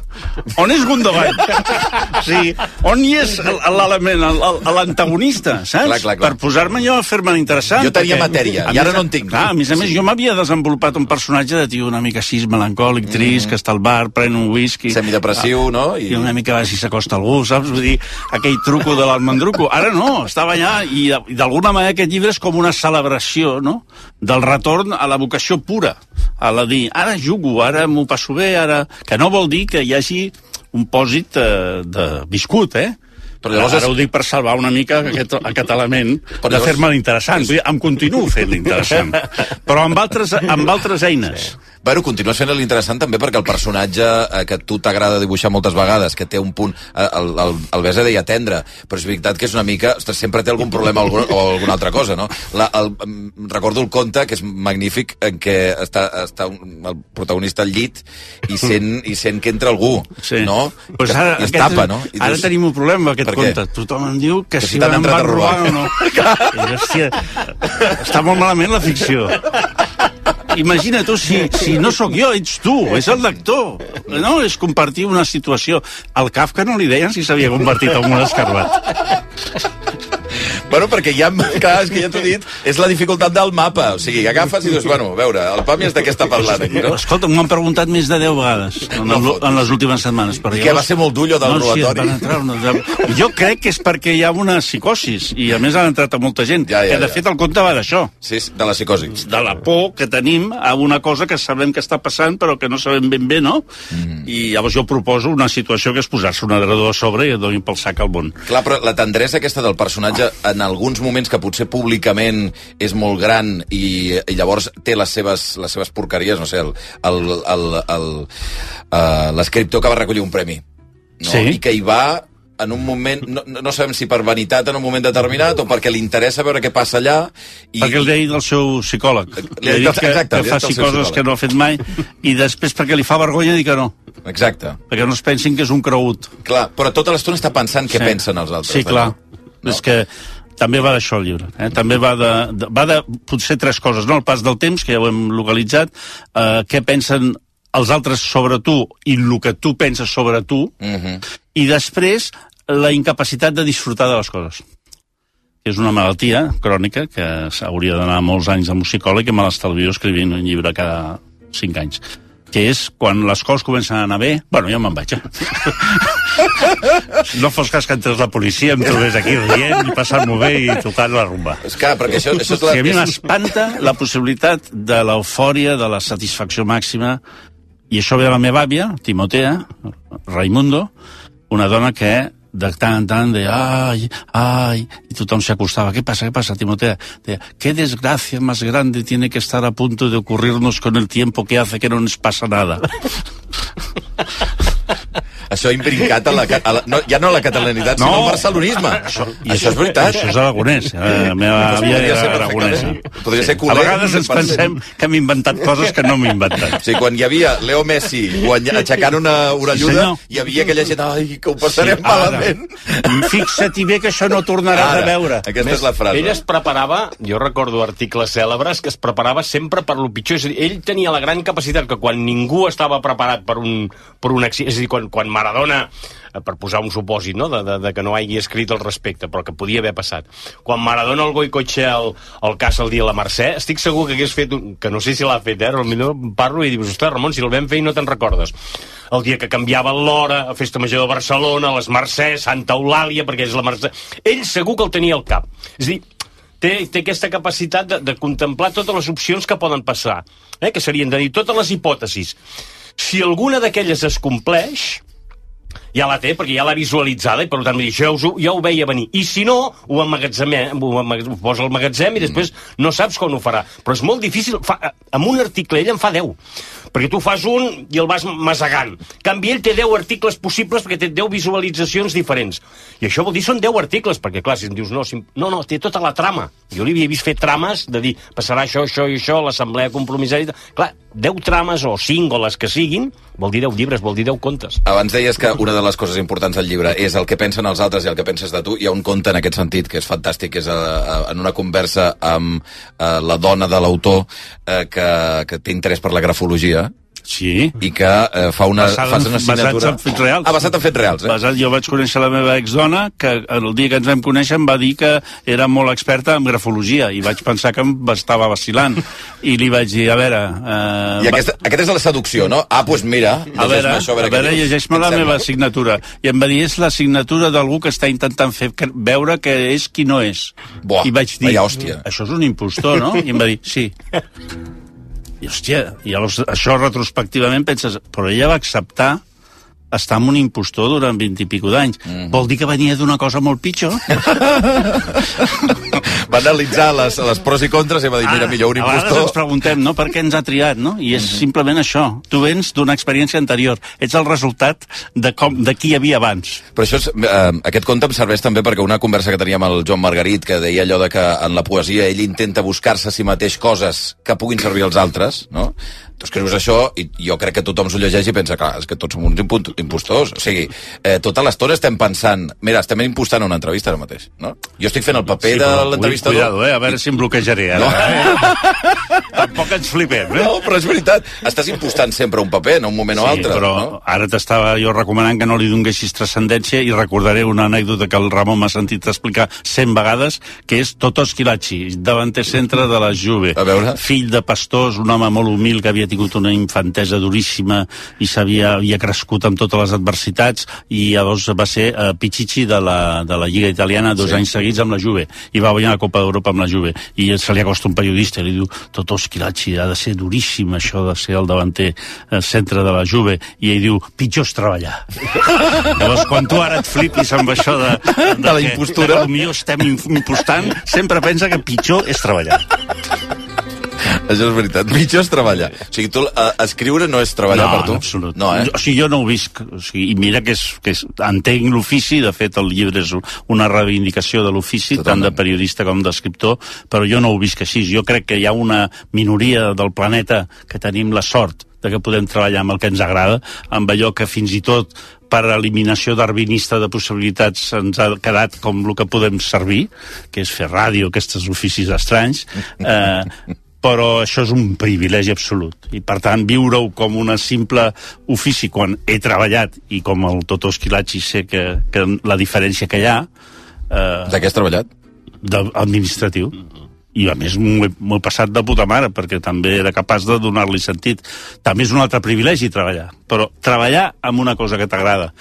On és Gundogan? O sigui, on hi és l'element, l'antagonista, saps? Clar, clar, clar. Per posar-me jo a fer-me interessant. Jo tenia perquè, matèria, i ara no en tinc. Clar, a més a més, sí. jo m'havia desenvolupat un personatge de tio una mica així melancòlic, trist, mm. que està al bar, pren un whisky... Semidepressiu, no? I... I una mica a veure si s'acosta algú, saps? Vull dir, aquell truco de l'almendruco. Ara no, estava allà i i d'alguna manera aquest llibre és com una celebració, no?, del retorn a la vocació pura, a la dir, ara jugo, ara m'ho passo bé, ara... Que no vol dir que hi hagi un pòsit eh, de viscut, eh? Però llavors ara és... ho dic per salvar una mica aquest, aquest element Però de llavors... fer-me l'interessant. Vull dir, em continuo fent l'interessant, però amb altres, amb altres eines. Sí. Bueno, continues fent l'interessant també perquè el personatge eh, que a tu t'agrada dibuixar moltes vegades, que té un punt, eh, el, el, el Besa deia tendre, però és veritat que és una mica, ostres, sempre té algun problema o alguna altra cosa, no? La, el, recordo el conte, que és magnífic, en què està, està un, el protagonista al llit i sent, i sent que entra algú, sí. no? Pues ara, I es tapa, no? I ara dius, tenim un problema amb aquest conte. Tothom em diu que, que si, si van robar o no. I, hòstia, està molt malament la ficció. Imagina tu, si, si no sóc jo, ets tu, és el lector. No, és compartir una situació. Al Kafka no li deien si s'havia convertit en un escarbat. Bueno, perquè ja, clar, és que ja t'ho he dit, és la dificultat del mapa. O sigui, agafes i dius, bueno, a veure, el Pami és de què està parlant aquí, no? Escolta, m'ho han preguntat més de deu vegades en, el, en les últimes setmanes. I què, va ser molt d'ullo del no, robatori? Sí, entrar una... Jo crec que és perquè hi ha una psicosis, i a més han entrat a molta gent, ja, ja, que de ja. fet el conte va d'això. Sí, de la psicosi. De la por que tenim a una cosa que sabem que està passant, però que no sabem ben bé, no? Mm. I llavors jo proposo una situació que és posar-se un adredor a sobre i et donin pel sac al món. Clar, però la tendresa aquesta del personatge, en alguns moments que potser públicament és molt gran i, i llavors té les seves, les seves porqueries, no sé, el, el, el, el, uh, l'escriptor que va recollir un premi, no? Sí. I que hi va en un moment, no, no sabem si per vanitat en un moment determinat o perquè li interessa veure què passa allà. I, perquè li ha dit el seu psicòleg. Li ha dit que, exacte, que faci coses que no ha fet mai i després perquè li fa vergonya dir que no. Exacte. Perquè no es pensin que és un cregut. Clar, però tota l'estona està pensant què sí. pensen els altres. Sí, clar. No? És que també va d'això el llibre. Eh? També va de, de, va de potser tres coses, no? El pas del temps, que ja ho hem localitzat, eh, què pensen els altres sobre tu i el que tu penses sobre tu, uh-huh. i després la incapacitat de disfrutar de les coses. És una malaltia crònica que s'hauria d'anar molts anys amb un psicòleg i me l'estalvio escrivint un llibre cada cinc anys. que és quan les coses comencen a anar bé, bueno, jo me'n vaig, eh? No fos cas que entrés la policia, em trobés aquí rient i passant-m'ho bé i tocant la rumba. És clar, perquè això... això és la... Sí, a mi m'espanta la possibilitat de l'eufòria, de la satisfacció màxima, i això ve de la meva àvia, Timotea, Raimundo, una dona que de tant en tant de ay, ay, y tothom se acostaba. ¿Qué pasa, qué pasa, Timotea? De, ¿qué desgracia más grande tiene que estar a punto de ocurrirnos con el tiempo que hace que no nos pasa nada? Això ha imbrincat a la, a la, no, ja no a la catalanitat, no, sinó al barcelonisme. Això, I això és veritat. Això és aragonès. La meva àvia era aragonesa. Podria ser culer. A vegades ens pensem que hem inventat coses que no hem inventat. Sí, quan hi havia Leo Messi aixecant una orelluda, sí, hi havia aquella gent, ai, que ho passarem sí, malament. Fixa't-hi bé que això no tornaràs a veure. Aquesta Més, és la frase. Ell es preparava, jo recordo articles cèlebres, que es preparava sempre per lo pitjor. És a dir, ell tenia la gran capacitat que quan ningú estava preparat per un, per un accident, és a dir, quan, quan Maradona, per posar un supòsit, no?, de, de, de que no hagi escrit al respecte, però que podia haver passat. Quan Maradona el goicotxe el, el cas el dia de la Mercè, estic segur que hagués fet, un, que no sé si l'ha fet, eh? Potser parlo i dius, ostres, Ramon, si el vam fer i no te'n recordes. El dia que canviava l'hora, a Festa Major de Barcelona, les Mercès, Santa Eulàlia, perquè és la Mercè... Ell segur que el tenia al cap. És a dir, té, té aquesta capacitat de, de contemplar totes les opcions que poden passar, eh? Que serien de dir totes les hipòtesis. Si alguna d'aquelles es compleix, ja la té, perquè ja l'ha visualitzada i per tant ja ho, ja ho veia venir. I si no, ho emmagatzema, ho, ho posa al magatzem i després no saps com ho farà. Però és molt difícil. Fa, amb un article ell en fa deu. Perquè tu fas un i el vas masegant. En canvi, ell té deu articles possibles perquè té deu visualitzacions diferents. I això vol dir són deu articles, perquè clar, si em dius no, si, no, no, té tota la trama. Jo li havia vist fer trames de dir passarà això, això i això, l'assemblea compromissària... Clar, deu trames o cinc o les que siguin, vol dir deu llibres, vol dir deu contes. Abans deies que una de les coses importants del llibre és el que pensen els altres i el que penses de tu. Hi ha un conte en aquest sentit que és fantàstic, que és a, a, en una conversa amb a, la dona de l'autor eh, que, que té interès per la grafologia. Sí. I que eh, fa una, basat, una assignatura... Basats en fets reals. Ah, basat en fets reals, eh? Basat, jo vaig conèixer la meva exdona, que el dia que ens vam conèixer em va dir que era molt experta en grafologia, i vaig pensar que em estava vacilant. I li vaig dir, a veure... Eh, I aquesta, va... aquesta és la seducció, no? Ah, doncs pues mira, a veure, això, a veure, veure llegeix-me la meva assignatura. I em va dir, és la signatura d'algú que està intentant fer veure que és qui no és. Buah, I vaig dir, hòstia. Això és un impostor, no? I em va dir, sí. I, hòstia, i llavors, això retrospectivament penses, però ella va acceptar estar amb un impostor durant vint i pico d'anys. Mm. Vol dir que venia d'una cosa molt pitjor? Va analitzar les, les pros i contres i va dir, mira, millor un impostor... A vegades ens preguntem, no?, per què ens ha triat, no? I és mm-hmm. simplement això. Tu vens d'una experiència anterior. Ets el resultat de, com, de qui hi havia abans. Però això és, eh, aquest conte em serveix també perquè una conversa que teníem amb el Joan Margarit, que deia allò de que en la poesia ell intenta buscar-se a si mateix coses que puguin servir als altres, no? Tu escrius això i jo crec que tothom s'ho llegeix i pensa, clar, és que tots som uns impostors. O sigui, eh, tota l'estona estem pensant... Mira, estem impostant una entrevista ara mateix, no? Jo estic fent el paper sí, de l'entrevistador... Cuidado, eh? A veure si em bloquejaré ara. No. Eh? Tampoc ens flipem, eh? No, però és veritat. Estàs impostant sempre un paper en un moment sí, o altre. Però no? Ara t'estava jo recomanant que no li donguessis transcendència i recordaré una anècdota que el Ramon m'ha sentit explicar cent vegades, que és Totò Schillaci, davanter centre de la Juve. A veure. Fill de pastors, un home molt humil que havia tingut una infantesa duríssima i s'havia havia crescut amb totes les adversitats, i llavors va ser uh, Pichichi de la, de la Lliga Italiana dos sí. anys seguits amb la Juve, i va guanyar la Copa d'Europa amb la Juve, i se li acosta un periodista i li diu, Totò Schillaci, ha de ser duríssim això de ser el davanter uh, centre de la Juve, i ell diu, pitjor és treballar. Llavors, quan tu ara et flipis amb això de, de, de la impostura, que potser estem impostant, sempre pensa que pitjor és treballar. Això és veritat. Pitjor és treballar. O sigui, tu, uh, escriure no és treballar no, per tu? No, absolut. No, eh? O sigui, jo no ho visc. O sigui, i mira que, és, que és, entenc l'ofici, de fet el llibre és una reivindicació de l'ofici, tant de periodista com d'escriptor, però jo no ho visc així. Jo crec que hi ha una minoria del planeta que tenim la sort de que podem treballar amb el que ens agrada, amb allò que fins i tot per eliminació darwinista de possibilitats ens ha quedat com el que podem servir, que és fer ràdio, aquests oficis estranys, eh, però això és un privilegi absolut. I, per tant, viure-ho com una simple ofici quan he treballat, i com el Totò Schillaci sé que, que la diferència que hi ha... Eh, de què has treballat? De, administratiu. i a més m'ho he, m'ho he passat de puta mare, perquè també era capaç de donar-li sentit. També és un altre privilegi treballar, però treballar amb una cosa que t'agrada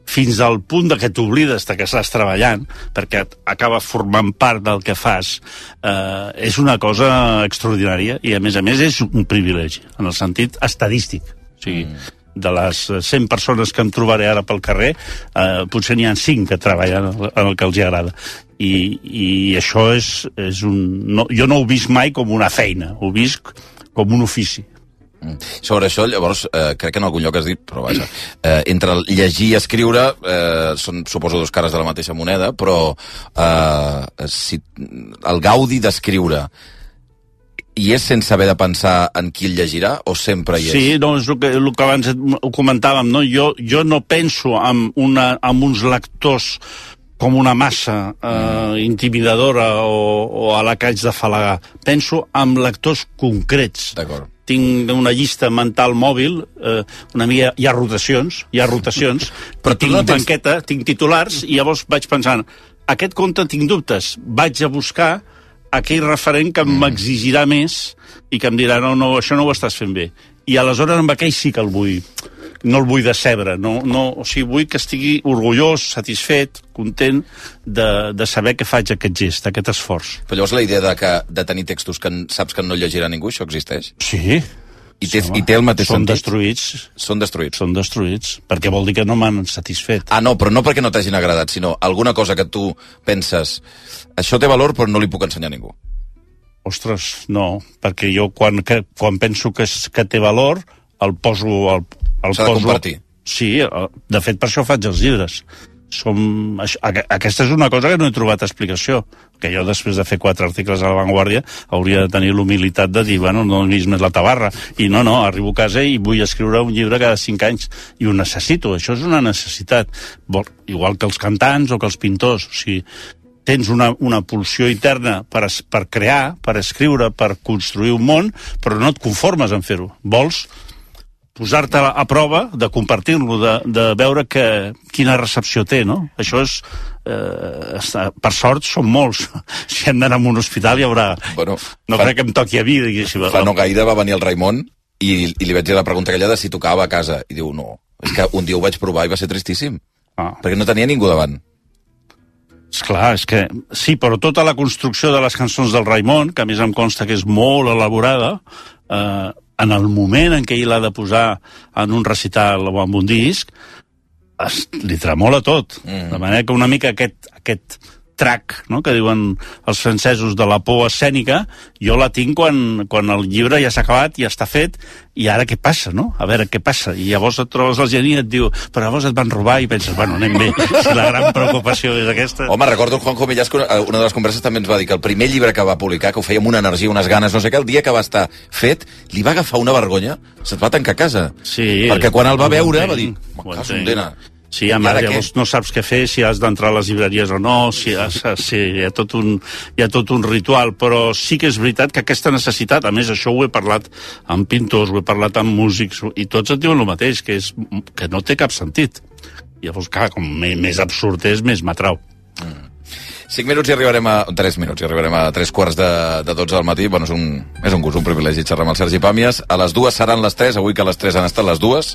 fins al punt de que t'oblides de que estàs treballant, perquè acaba formant part del que fas, eh, és una cosa extraordinària, i a més a més és un privilegi, en el sentit estadístic. O sigui, mm. de les cent persones que em trobaré ara pel carrer, eh, potser n'hi ha cinc que treballen en el que els agrada. I, i això és, és un... No, jo no ho visc mai com una feina, ho visc com un ofici. Sobre això, llavors, eh, crec que en algun lloc has dit, però vaja, eh, entre llegir i escriure eh, són, suposo, dos cares de la mateixa moneda, però eh, si, el gaudi d'escriure hi és sense haver de pensar en qui el llegirà, o sempre hi és? Sí, no, és el que, el que abans ho comentàvem, no? Jo, jo no penso en, una, en uns lectors com una massa eh, intimidadora o, o a la que haig d'afalagar. Penso en lectors concrets. D'acord. Tinc una llista mental mòbil, eh, una mica, hi ha rotacions, hi ha rotacions, però tinc no tens... banqueta, tinc titulars, i llavors vaig pensant, aquest conte tinc dubtes, vaig a buscar aquell referent que mm. m'exigirà més i que em dirà, no, no, això no ho estàs fent bé. I aleshores amb aquell sí que el vull, no el vull decebre, no, no, o sigui, vull que estigui orgullós, satisfet, content de, de saber que faig aquest gest, aquest esforç. Però llavors la idea de, que, de tenir textos que saps que no llegirà ningú, això existeix? Sí. I té, i té el mateix són sentit? Destruïts. Són destruïts. Són destruïts, perquè vol dir que no m'han satisfet. Ah, no, però no perquè no t'hagin agradat, sinó alguna cosa que tu penses, això té valor però no li puc ensenyar a ningú. Ostres, no, perquè jo quan, que, quan penso que, és, que té valor, el poso... El, el S'ha de poso, compartir. Sí, de fet per això faig els llibres. Som, aquesta és una cosa que no he trobat explicació, que jo després de fer quatre articles a La Vanguardia hauria de tenir l'humilitat de dir, bueno, no he vist més la tabarra, i no, no, arribo a casa i vull escriure un llibre cada cinc anys, i ho necessito, això és una necessitat, igual que els cantants o que els pintors. O sigui, tens una, una pulsió interna per, per crear, per escriure, per construir un món, però no et conformes en fer-ho. Vols posar-te a, a prova, de compartir-lo, de, de veure que, quina recepció té, no? Això és... Eh, per sort són molts. Si hem d'anar a un hospital hi haurà... Bueno, no fa, crec que em toqui a mi, diguéssim. Fa no gaire va venir el Raimon i, i li vaig dir la pregunta aquella de si tocava a casa. I diu, no, és que un dia ho vaig provar i va ser tristíssim. Ah. Perquè no tenia ningú davant. Esclar, és que... Sí, però tota la construcció de les cançons del Raimon, que a més em consta que és molt elaborada, eh, en el moment en què ell l'ha de posar en un recital o en un disc, es, li tremola tot. Mm. De manera que una mica aquest, aquest trac, no?, que diuen els francesos de la por escènica, jo la tinc quan, quan el llibre ja s'ha acabat, ja està fet, i ara què passa, no? A veure què passa. I llavors et trobes al geni i et diu, però llavors et van robar, i penses, bueno, anem bé, si la gran preocupació és aquesta... Home, recordo el Juanjo Millás, que una de les converses també ens va dir que el primer llibre que va publicar, que ho feia amb una energia, unes ganes, no sé què, el dia que va estar fet, li va agafar una vergonya, se't va tancar a casa. Sí. Perquè quan el va veure va dir, m'caso en dena. Sí, a més, llavors no saps què fer, si has d'entrar a les llibreries o no, si has, si hi, ha tot un, hi ha tot un ritual, però sí que és veritat que aquesta necessitat, a més això ho he parlat amb pintors, ho he parlat amb músics, i tots et diuen el mateix, que, és, que no té cap sentit. Llavors, clar, com més absurd és, més m'atrau. Mm. Cinc minuts i arribarem a... Tres minuts i arribarem a tres quarts de, de dotze del matí. Bueno, és un, és un gust, un privilegi xerrar amb el Sergi Pàmies. A les dues seran les tres, avui que les tres han estat les dues.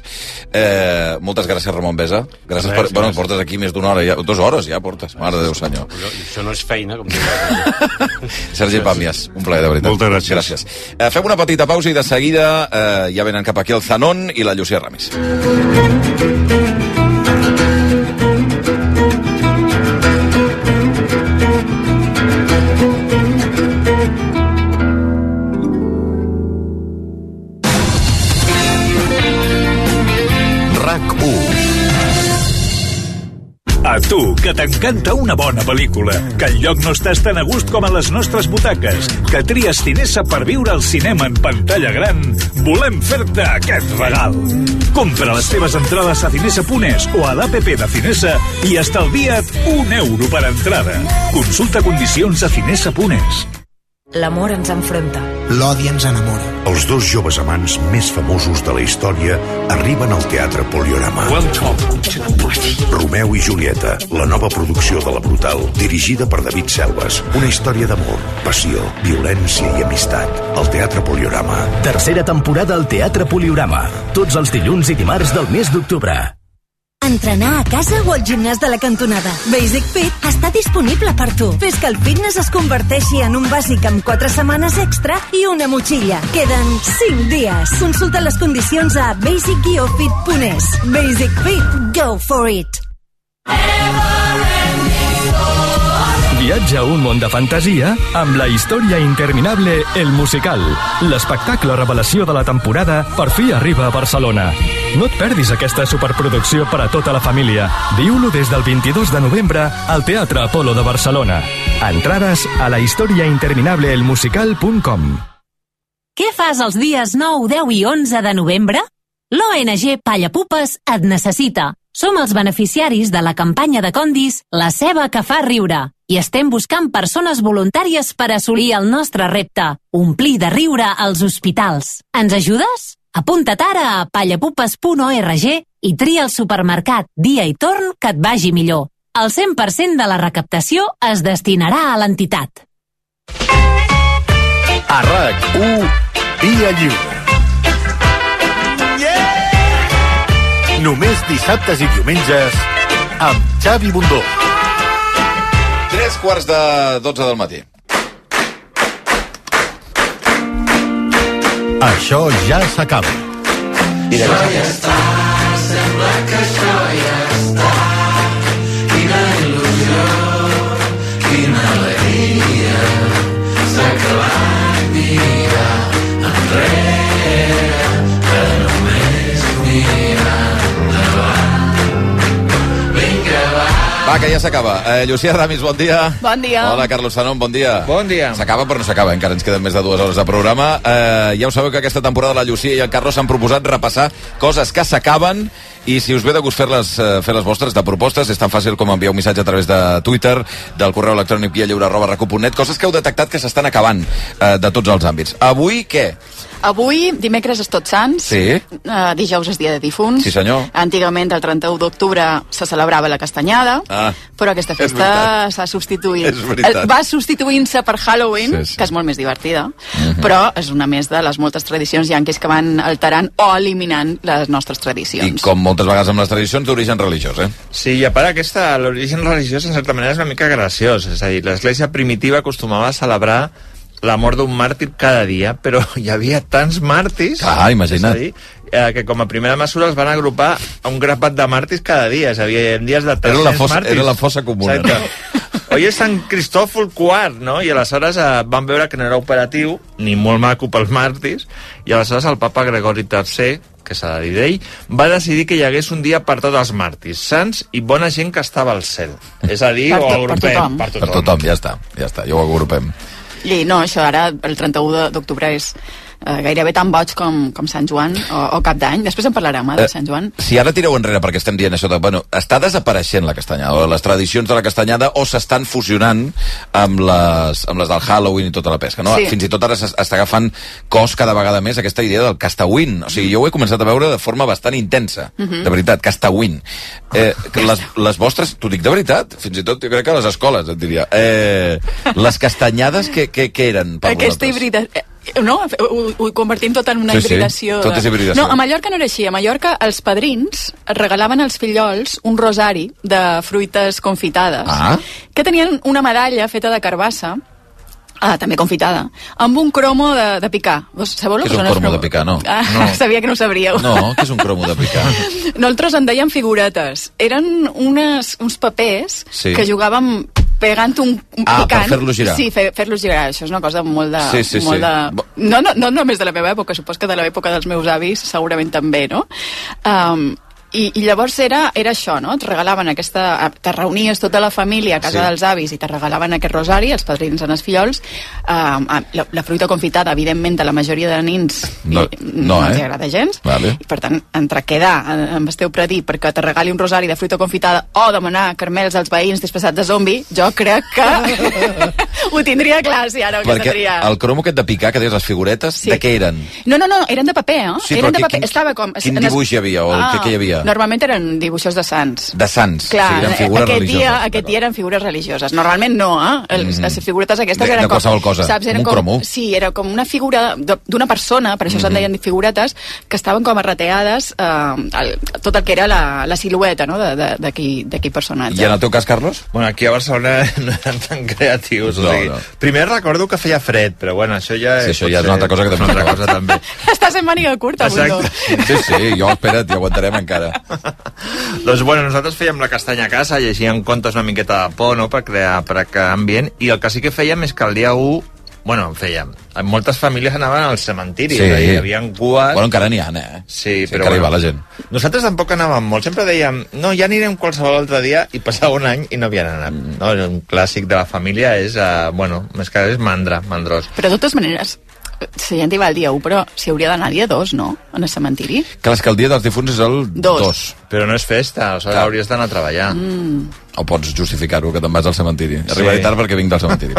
Eh, moltes gràcies, Ramon Besa. Gràcies per... Bueno, portes aquí més d'una hora, ja, dues hores ja portes. Mare de Déu, senyor. Això no és feina, com diu. Sergi Pàmies, un plaer, de veritat. Moltes gràcies. gràcies. Eh, fem una petita pausa i de seguida eh, ja venen cap aquí el Zanon i la Llucia Ramis. A tu, que t'encanta una bona pel·lícula, que enlloc no estàs tan a gust com a les nostres butaques, que tries Cinesa per viure al cinema en pantalla gran, volem fer-te aquest regal. Compra les teves entrades a cinesa punt es o a l'app de Cinesa i estalvia't un euro per entrada. Consulta condicions a cinesa punt es. L'amor ens enfronta. L'odi ens enamora. Els dos joves amants més famosos de la història arriben al Teatre Poliorama. Welcome to the party. Romeu Romeu i Julieta, la nova producció de La Brutal, dirigida per David Selves. Una història d'amor, passió, violència i amistat. Al Teatre Poliorama. Tercera temporada al Teatre Poliorama. Tots els dilluns i dimarts del mes d'octubre. Entrenar a casa o al gimnàs de la cantonada. Basic Fit està disponible per tu. Fes que el fitness es converteixi en un bàsic amb quatre setmanes extra i una motxilla. Queden cinc dies. Consulta les condicions a basic guió fit punt es. Basic Fit, go for it! Viatja a un món de fantasia amb la història interminable El Musical. L'espectacle revelació de la temporada per fi arriba a Barcelona. No et perdis aquesta superproducció per a tota la família. Viu-lo des del vint-i-dos de novembre al Teatre Apolo de Barcelona. Entrades a la història interminable el musical punt com. Què fas els dies nou, deu i onze de novembre? L'O N G Pallapupes et necessita. Som els beneficiaris de la campanya de Condis La ceba que fa riure i estem buscant persones voluntàries per assolir el nostre repte, omplir de riure als hospitals. Ens ajudes? Apunta't ara a pallapupes punt org i tria el supermercat, dia i torn que et vagi millor. El cent per cent de la recaptació es destinarà a l'entitat. A RAC u, Via Lliure. Només dissabtes i diumenges amb Xavi Bundó. Tres quarts de dotze del matí. Això ja s'acaba. Això ja està, sembla que això ja està. Quina il·lusió, quina alegria. S'ha acabat mirar enrere, que només mirar. Va, que ja s'acaba. Eh, Llucia Ramis, bon dia. Bon dia. Hola, Carlos Sanón, bon dia. Bon dia. S'acaba, però no s'acaba, encara ens queden més de dues hores de programa. Eh, ja ho sabeu que aquesta temporada la Llucia i el Carlos s'han proposat repassar coses que s'acaben i si us ve de gust fer-les eh, fer les vostres de propostes, és tan fàcil com enviar un missatge a través de Twitter, del correu electrònic vialliure arroba rac u punt net, coses que heu detectat que s'estan acabant eh, de tots els àmbits. Avui, què? Avui, dimecres és Tots Sants, Sí. uh, dijous és dia de difunts. Sí, senyor. Antigament, el trenta-u d'octubre, se celebrava la castanyada, Ah, però aquesta és festa veritat. s'ha substituït. És veritat. Eh, Va substituint-se per Halloween, Sí, sí. que és molt més divertida, Mhm. però és una més de les moltes tradicions yanquis que van alterant o eliminant les nostres tradicions. I com moltes vegades amb les tradicions d'origen religiós, eh? Sí, i a part aquesta, l'origen religiós en certa manera és una mica graciós, és a dir, l'església primitiva acostumava a celebrar la mort d'un màrtir cada dia, però hi havia tants màrtirs, Ah, imagina't. és a dir, eh, que com a primera mesura els van agrupar a un grapat de màrtirs cada dia, és a dir, en dies de Era tres-cents la fossa, màrtirs. era la fossa comuna. Exacte. Hoy és Sant Cristòfol quart, no? I aleshores eh, van veure que no era operatiu, ni molt maco pels màrtirs, i aleshores el papa Gregori tercer, que s'ha de dir d'ell, va decidir que hi hagués un dia per tots els màrtirs, sants i bona gent que estava al cel. És a dir, Per ho tot- per agrupem tothom. per tothom. Per tothom, ja està, ja està, ja ho agrupem. I no, això ara, el trenta-u de- d'octubre és eh, gairebé tan boig com, com Sant Joan o, o Cap d'Any. Després en parlarem, eh, de Sant Joan. Si ara tireu enrere perquè estem dient això de, bueno, està desapareixent la castanyada, o les tradicions de la castanyada, o s'estan fusionant amb les, amb les del Halloween i tota la pesca, no? Sí. Fins i tot ara s'està agafant cos cada vegada més aquesta idea del castawin. O sigui, jo ho he començat a veure de forma bastant intensa, Mhm. de veritat, castawin. Eh, que les, les vostres, t'ho dic de veritat, fins i tot jo crec que a les escoles, et diria. Eh, les castanyades, què, què, què eren per Aquesta vosaltres? hibrida... eh, No, ho, ho convertim tot en una Sí, sí, hibridació. tot és hibridació. No, a Mallorca no era així. A Mallorca els padrins regalaven als fillols un rosari de fruites confitades Ah. que tenien una medalla feta de carbassa, ah, també confitada, amb un cromo de, de picar. Vos sabeu Què lo és que un són els cromo de cromos? picar, no? Ah, No. sabia que no ho sabríeu. No, què és un cromo de picar? Nosaltres en dèiem figuretes. Eren unes, uns papers Sí. que jugàvem pegant un, un Ah, per picant. fer-los girar. Sí, fer, fer-los girar. Això és una cosa molt de... Sí, sí, molt sí. de... No, no, no només de la meva època, supos que de l'època dels meus avis segurament també, no? Um, i, i llavors era, era això, no? Et regalaven aquesta... Te reunies tota la família a casa Sí. dels avis i te regalaven aquest rosari, els padrins en els fillols. Um, la, la fruita confitada, evidentment, a la majoria de nins No, i, no, no els eh? agrada gens. Vale. I per tant, entre quedar amb el teu predí perquè te regali un rosari de fruita confitada o demanar carmels als veïns disfressats de zombi, jo crec que ho tindria clar si ara ho Perquè seria... el cromo aquest de picar, que deies les figuretes, Sí. de què eren? No, no, no, eren de paper, eh? Sí, eren però de qui- paper. quin- Estava com... Quin en es- dibuix hi havia? O Ah, què, què hi havia? dia? Normalment eren dibuixos de sants. De sants, Clar, o sigui, eren figures aquest religioses. dia, aquest dia eren figures religioses. Normalment no, eh? Les, mm -hmm. les figuretes aquestes de, eren de qualsevol cosa, saps, eren un com, cromo. Sí, era com una figura d'una persona, per això mm -hmm. se'n deien figuretes, que estaven com arreteades eh, el, tot el que era la, la silueta, no?, d'aquell personatge. I en el teu cas, Carlos? Bueno, aquí a Barcelona no eren tan creatius. No, o sigui, no. Primer recordo que feia fred, però bueno, això ja... Sí, això ja és una altra cosa que també. Una altra cosa també. Estàs en màniga curta, Bundó. Sí, sí, jo, espera't, ja aguantarem encara. Doncs bueno, nosaltres fèiem la castanya a casa, llegíem contes una miqueta de por, no?, per crear, per crear ambient, i el que sí que fèiem és que el dia u, bueno, fèiem, moltes famílies anaven al cementiri, Sí. hi havia cues... Bueno, encara n'hi ha, eh? Sí, Sí, però encara hi bueno, va la gent. Nosaltres tampoc anàvem molt, sempre dèiem, no, ja anirem qualsevol altre dia, i passava un any i no havien anat. No? Un clàssic de la família és, uh, bueno, més que res és mandra, mandrós. Però de totes maneres, si la gent hi va el dia u, però s'hi hauria d'anar el dia dos, no?, en el cementiri. Clar, és que el dia dels difunts és el Dos. dos. Però no és festa, aleshores Clar. hauries d'anar a treballar. Mm. O pots justificar-ho, que te'n vas al cementiri. Sí. Arribaré tard perquè vinc del cementiri.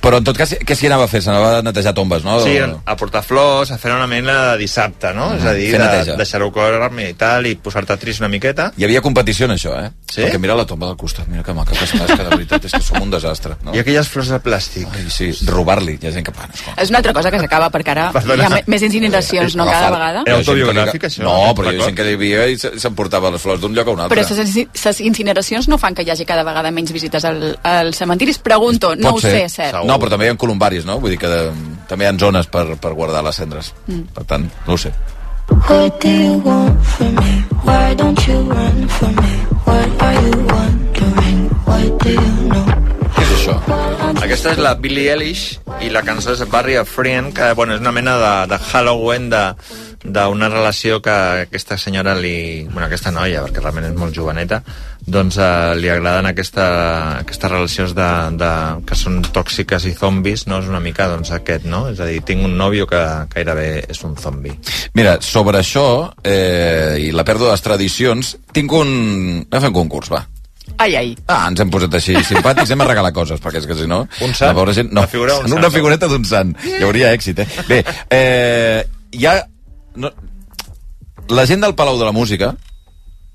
Però en tot cas, què s'hi anava a fer? S'anava a netejar tombes, no? Sí, a portar flors, a fer una mena de dissabte, no? Mm, És a dir, fer de, neteja. deixar-ho córrer i tal, i posar-te trist una miqueta. Hi havia competició en això, eh? Sí? Perquè mira la tomba del costat, mira que maca que està, és que de veritat és que som un desastre. No? I aquelles flors de plàstic. Ai, sí, robar-li, hi ha gent que... Bueno, escolta. És una altra cosa que s'acaba, perquè ara Perdona. hi ha me- més incineracions, no?, cada Agafar- vegada. Hi ha gent que li- autobiogràfic, això? No, però hi ha D'acord. gent que hi havia i se- s'emportava les flors d'un lloc a un altre. Però les incineracions no fan que hi hagi cada vegada menys visites al, al cementiri? Es pregunto, no Pot ho ser. sé, és cert. No, però també hi ha columbaris, no? Vull dir que de, també hi ha zones per, per guardar les cendres. Mm. Per tant, no ho sé. What do you want from me? Why don't you run from me? What are you wondering? What do you know? Què és això? Aquesta és la Billie Eilish i la cançó és Barry a Friend, que bueno, és una mena de, de Halloween de d'una relació que aquesta senyora li... Bueno, aquesta noia, perquè realment és molt joveneta, doncs eh, li agraden aquesta, aquestes relacions de, de, que són tòxiques i zombis, no? És una mica doncs aquest, no? És a dir, tinc un nòvio que gairebé és un zombi. Mira, sobre això eh, i la pèrdua de les tradicions, tinc un... Anem a fer un concurs, va. Ai, ai. Ah, ens hem posat així simpàtics, hem a regalar coses, perquè és que si no... Un sant? La pobra gent, no, La figura d'un sant, una no? figureta d'un sant. Hi hauria èxit, eh? Bé, eh, hi ha... No, la gent del Palau de la Música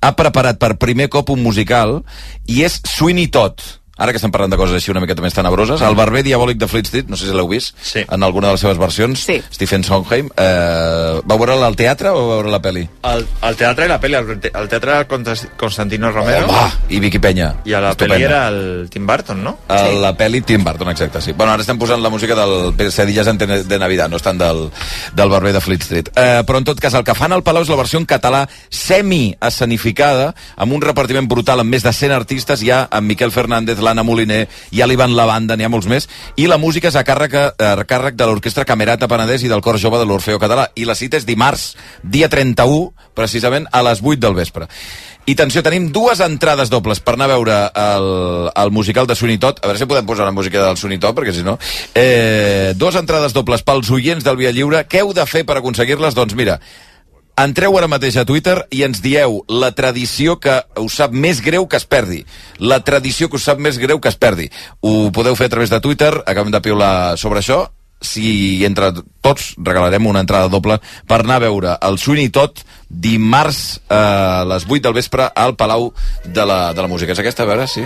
ha preparat per primer cop un musical i és Sweeney Todd. Ara que estem parlant de coses així una miqueta més tenebroses, el barber diabòlic de Fleet Street, no sé si l'heu vist, sí. en alguna de les seves versions, sí. Stephen Sondheim, eh, va veure-la al teatre o va veure la pel·li? El, el teatre i la pel·li, el, te- el teatre era Contas- Constantino Romero. Home, i Vicky Peña. I a la Estupenda. pel·li era el Tim Burton, no? A la pel·li Tim Burton, exacte, sí. Bueno, ara estem posant la música del Pesadillas antes de Navidad, no estan del, del barber de Fleet Street. Eh, però en tot cas, el que fan al Palau és la versió en català semi-escenificada, amb un repartiment brutal amb més de cent artistes. Hi ha en Miquel Fernández, l'Anna Moliner, hi ha l'Ivan Lavanda, n'hi ha molts més, i la música és a càrrec, a càrrec de l'Orquestra Camerata Penedès i del Cor Jove de l'Orfeo Català. I la cita és dimarts, dia trenta-u, precisament a les vuit del vespre. I atenció, tenim dues entrades dobles per anar a veure el, el musical de Sweeney Todd. A veure si podem posar la música del Sweeney Todd, perquè si no... Eh, dues entrades dobles pels oients del Via Lliure. Què heu de fer per aconseguir-les? Doncs mira, entreu ara mateix a Twitter i ens dieu la tradició que us sap més greu que es perdi. La tradició que us sap més greu que es perdi. Ho podeu fer a través de Twitter, acabem de piular sobre això. Si entre tots regalarem una entrada doble per anar a veure el Sweeney Todd dimarts a les vuit del vespre al Palau de la, de la Música. És aquesta, a veure, sí?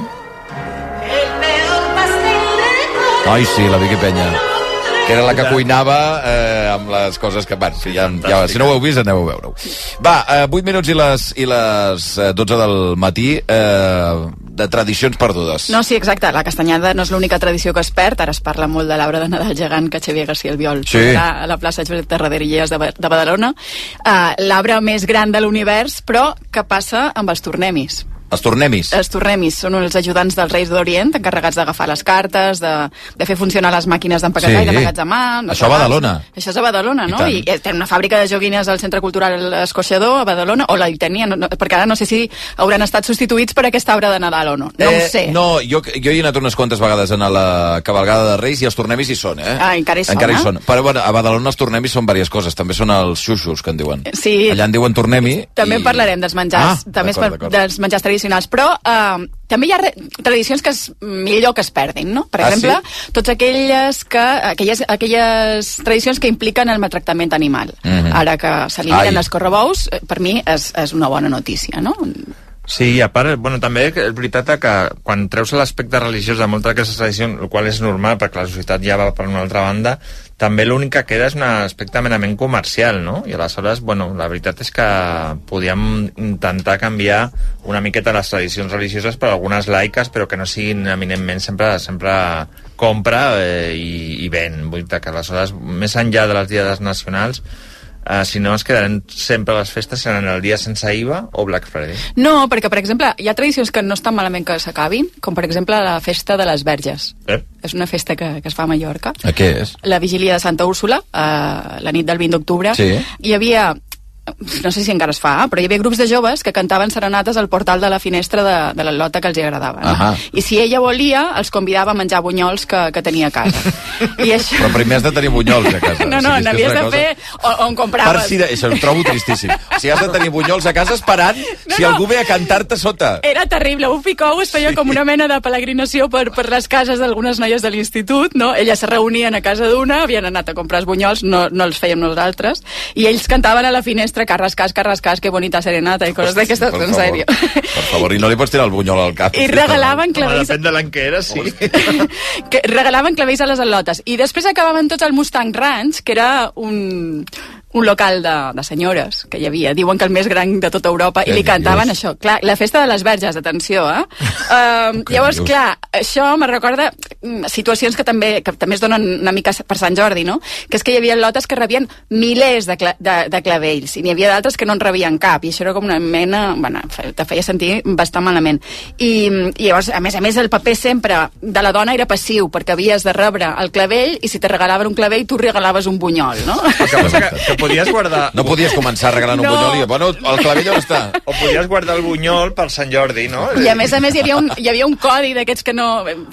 Ai, sí, la Vicky Peña. Que era la que cuinava eh, amb les coses que... Bueno, sí, ja, ja, si no ho heu vist, aneu a veure-ho. Va, eh, vuit minuts i les, i les eh, dotze del matí eh, de tradicions perdudes. No, sí, exacte. La castanyada no és l'única tradició que es perd. Ara es parla molt de l'arbre de Nadal gegant que Xavier García Albiol Sí. posarà a la plaça Josep Tarradellas de, Ba- de Badalona. Uh, l'arbre més gran de l'univers, però què passa amb els tornemis? Els tornemis. Els tornemis són els ajudants dels Reis d'Orient, encarregats d'agafar les cartes, de, de fer funcionar les màquines d'empaquetar Sí. i d'emmagatzemar. Això a Badalona. Això és a Badalona, I no? tant. I, I tenen una fàbrica de joguines al Centre Cultural Escorxador, a Badalona, o la hi tenien, no, no, perquè ara no sé si hauran estat substituïts per aquest arbre de Nadal o no. No eh, ho sé. No, jo, jo hi he anat unes quantes vegades a la cabalgada de Reis i els tornemis hi són, eh? Ah, encara hi són, Encara hi eh? són. Però bueno, a Badalona els tornemis són diverses coses. També són els xuxos, que en diuen. Sí. Allà en diuen tornemi. També i... en parlarem dels menjars, Ah, també es d'acord, par- d'acord. dels menjars tradicionals tradicionals, però eh, també hi ha re tradicions que és millor que es perdin, no? Per ah, exemple, sí? tots aquelles, que, aquelles, aquelles tradicions que impliquen el maltractament animal. Mm-hmm. Ara que s'eliminen els correbous, per mi és, és una bona notícia, no? Sí, a part, bueno, també és veritat que quan treus l'aspecte religiós de moltes d'aquestes tradicions, el qual és normal perquè la societat ja va per una altra banda, també l'únic que queda és un aspecte merament comercial, no? I aleshores, bueno, la veritat és que podíem intentar canviar una miqueta les tradicions religioses per algunes laiques, però que no siguin eminentment sempre sempre compra eh, i, i ven. Vull dir que aleshores, més enllà de les diades nacionals, Uh, si no es quedaran sempre les festes seran el dia sense I V A o Black Friday. No, perquè, per exemple, hi ha tradicions que no estan malament que s'acabin, com per exemple la festa de les Verges. Eh? És una festa que, que es fa a Mallorca. A què és? La vigília de Santa Úrsula, uh, la nit del vint d'octubre. Sí. Hi havia... no sé si encara es fa, però hi havia grups de joves que cantaven serenates al portal de la finestra de, de la lota que els agradava. No? Ahà. I si ella volia, els convidava a menjar bunyols que, que tenia a casa. I això... Però primer has de tenir bunyols a casa. No, no, o sigui, n'havies de cosa... fer on, on compraves. Per si de... Això ho trobo tristíssim. O sigui, has de tenir bunyols a casa esperant no, si no. algú ve a cantar-te sota. Era terrible. Un picou es feia sí. com una mena de peregrinació per, per les cases d'algunes noies de l'institut, no? Elles se reunien a casa d'una, havien anat a comprar els bunyols, no, no els fèiem nosaltres, i ells cantaven a la finestra carras, cas, carras, cas, que bonita serenata i coses d'aquestes, en sèrio. Per favor, i no li pots tirar el bunyol al cap. I regalaven clavells... Depèn de l'any que era, sí. que regalaven clavells a les al·lotes. I després acabaven tots al Mustang Ranch, que era un... un local de, de senyores que hi havia, diuen que el més gran de tota Europa, i li cantaven això. Clar, la festa de les Verges, atenció, eh? Uh, llavors, clar, això me recorda situacions que també, que també es donen una mica per Sant Jordi, no? Que és que hi havia lotes que rebien milers de, cla de, de clavells, i n'hi havia d'altres que no en rebien cap, i això era com una mena... Bueno, te feia sentir bastant malament. I, i llavors, a més a més, el paper sempre de la dona era passiu, perquè havies de rebre el clavell, i si te regalaven un clavell, tu regalaves un bunyol, no? Que passa que, que podies guardar... No podies començar regalant un no. bunyol i... Bueno, el clavell on està? O podies guardar el bunyol per Sant Jordi, no? I a més a més hi havia un, hi havia un codi d'aquests que no...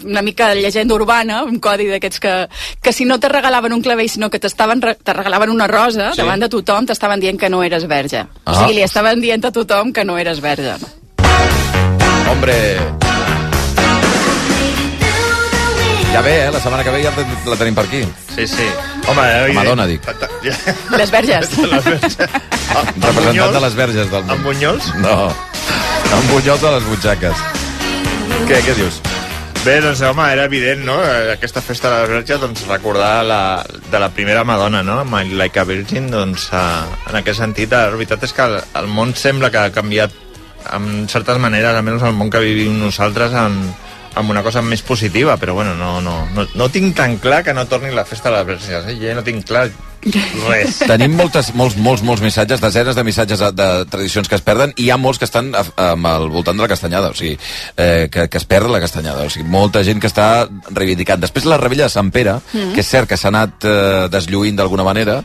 Una mica de llegenda urbana, un codi d'aquests que, que si no te regalaven un clavell, sinó que t'estaven te regalaven una rosa, sí. davant de tothom t'estaven dient que no eres verge. Ah. O sigui, li estaven dient a tothom que no eres verge. Hombre... Ja ve, eh? La setmana que ve ja la tenim per aquí. Sí, sí. Home, la Madonna, dic. Les Verges. Les Verges. Ah, representant de les Verges del món. Amb bunyols? No, amb bunyols a les butxaques. Què, què dius? Bé, doncs, home, era evident, no?, aquesta festa de les Verges, doncs, recordar la, de la primera Madonna, no?, My Like a Virgin, doncs, uh, en aquest sentit, la veritat és que el, el món sembla que ha canviat en certes maneres, almenys el món que vivim nosaltres, en amb una cosa més positiva, però bueno, no, no, no, no tinc tan clar que no torni la festa de les Verges, eh? Jo no tinc clar res. Tenim moltes, molts, molts, molts missatges, desenes de missatges de, de tradicions que es perden, i hi ha molts que estan amb al voltant de la castanyada, o sigui, eh, que, que es perd la castanyada, o sigui, molta gent que està reivindicant. Després la Rebella de Sant Pere, mm. que és cert que s'ha anat eh, deslluint d'alguna manera,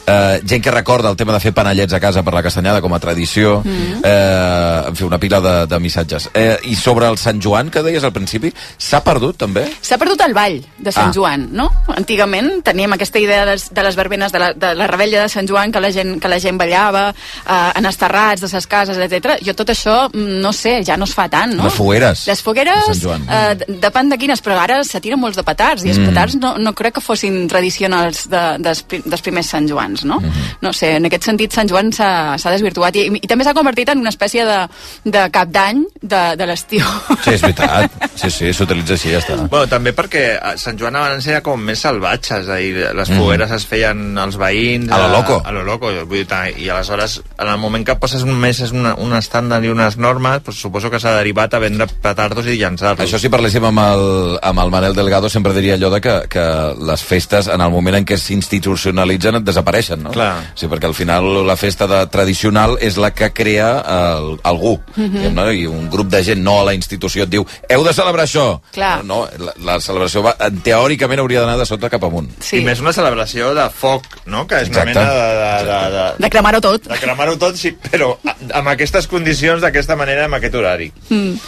eh, gent que recorda el tema de fer panellets a casa per la castanyada com a tradició, mm. eh, en fi, una pila de, de missatges. Eh, I sobre el Sant Joan, que deies al principi, s'ha perdut també? S'ha perdut el ball de Sant ah. Joan, no? Antigament teníem aquesta idea de, de les verbenes de la, de la rebella de Sant Joan, que la gent, que la gent ballava eh, en els terrats de ses cases, etcètera. Jo tot això, no sé, ja no es fa tant, no? Les fogueres. Les fogueres, eh, depèn de quines, però ara se tiren molts de petards, i els mm. petards no, no crec que fossin tradicionals de, dels, dels primers Sant Joans, no? Mm -hmm. No sé, en aquest sentit Sant Joan s'ha desvirtuat, i, i també s'ha convertit en una espècie de, de cap d'any de, de l'estiu. Sí, és veritat. Sí, sí, s'utilitza així, ja està. Bueno, també perquè Sant Joan abans era com més salvatge, és a dir, les fogueres mm. es feien als veïns... A lo loco. A, a lo loco, vull dir, i aleshores, en el moment que passes un mes és una, un estàndard i unes normes, pues, suposo que s'ha derivat a vendre petardos i llançar-los. Això, si parléssim amb el, amb el Manel Delgado, sempre diria allò de que, que les festes, en el moment en què s'institucionalitzen, desapareixen, no? Clar. Sí, perquè al final la festa de, tradicional és la que crea el, algú, mm -hmm. no? I un grup de gent, no a la institució, et diu, heu de celebrar això. Clar. No, la, la celebració va, teòricament hauria d'anar de sota cap amunt. Sí. I més una celebració de foc, no?, que és Exacte. una mena de... De, de, de, de cremar-ho tot. De cremar-ho tot, sí, però amb aquestes condicions, d'aquesta manera, amb aquest horari. Mm.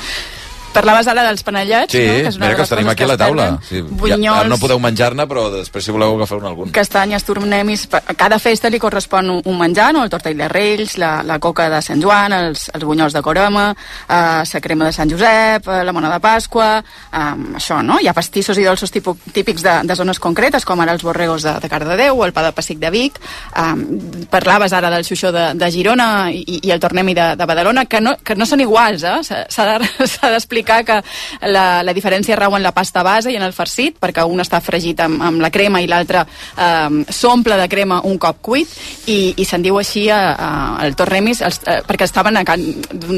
parlaves ara dels panellets, sí, no? Que és una mira que de els les tenim coses aquí a que la es taula. perden. Sí, Bunyols, ja, no podeu menjar-ne, però després si voleu agafar-ne algun. Castanyes, tornemis... A cada festa li correspon un, un menjar, no? El tortell de Reis, la, la coca de Sant Joan, els, els bunyols de Coroma, eh, la crema de Sant Josep, eh, la mona de Pasqua, eh, això, no? Hi ha pastissos i dolços tipus, típics de, de zones concretes, com ara els borregos de, de Cardedeu o el pa de pessic de Vic. Eh, parlaves ara del xuixó de, de Girona i, i el tornemi de, de Badalona, que no, que no són iguals, eh? S'ha d'explicar que la, la diferència rau en la pasta base i en el farcit, perquè un està fregit amb, amb la crema i l'altre eh, s'omple de crema un cop cuit, i, i se'n diu així a, a, el tornemis, els, eh, perquè estaven a Can,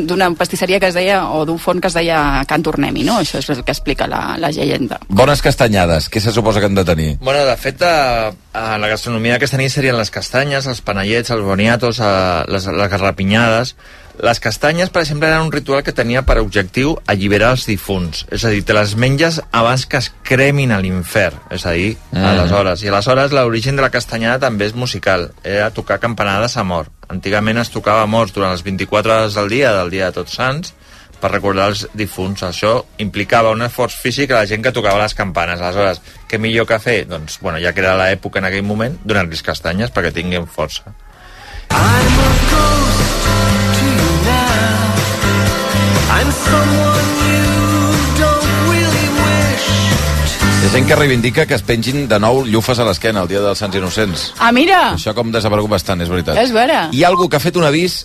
d'una pastisseria que es deia, o d'un forn que es deia Can Tornemi, no? Això és el que explica la, la llegenda. Bones castanyades, què se suposa que han de tenir? Bueno, de fet, a, a la gastronomia aquesta nit serien les castanyes, els panellets, els boniatos, a, les, les garrapinyades. Les castanyes, per exemple, eren un ritual que tenia per objectiu alliberar els difunts. És a dir, te les menges abans que es cremin a l'infern. És a dir, mm. aleshores. I aleshores l'origen de la castanyada també és musical. Era tocar campanades a mort. Antigament es tocava a morts durant les vint-i-quatre hores del dia, del dia de Tots Sants, per recordar els difunts. Això implicava un esforç físic a la gent que tocava les campanes. Aleshores, què millor que fer? Doncs, bueno, ja que era l'època en aquell moment, donar-los castanyes perquè tinguin força. I'm a ghost to you now. I'm someone you don't really wish. Hi ha gent que reivindica que es pengin de nou llufes a l'esquena el dia dels Sants Innocents. Ah, mira! Això com desaparegut bastant, és veritat. És vera. Hi ha algú que ha fet un avís,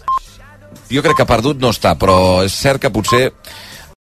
jo crec que perdut no està, però és cert que potser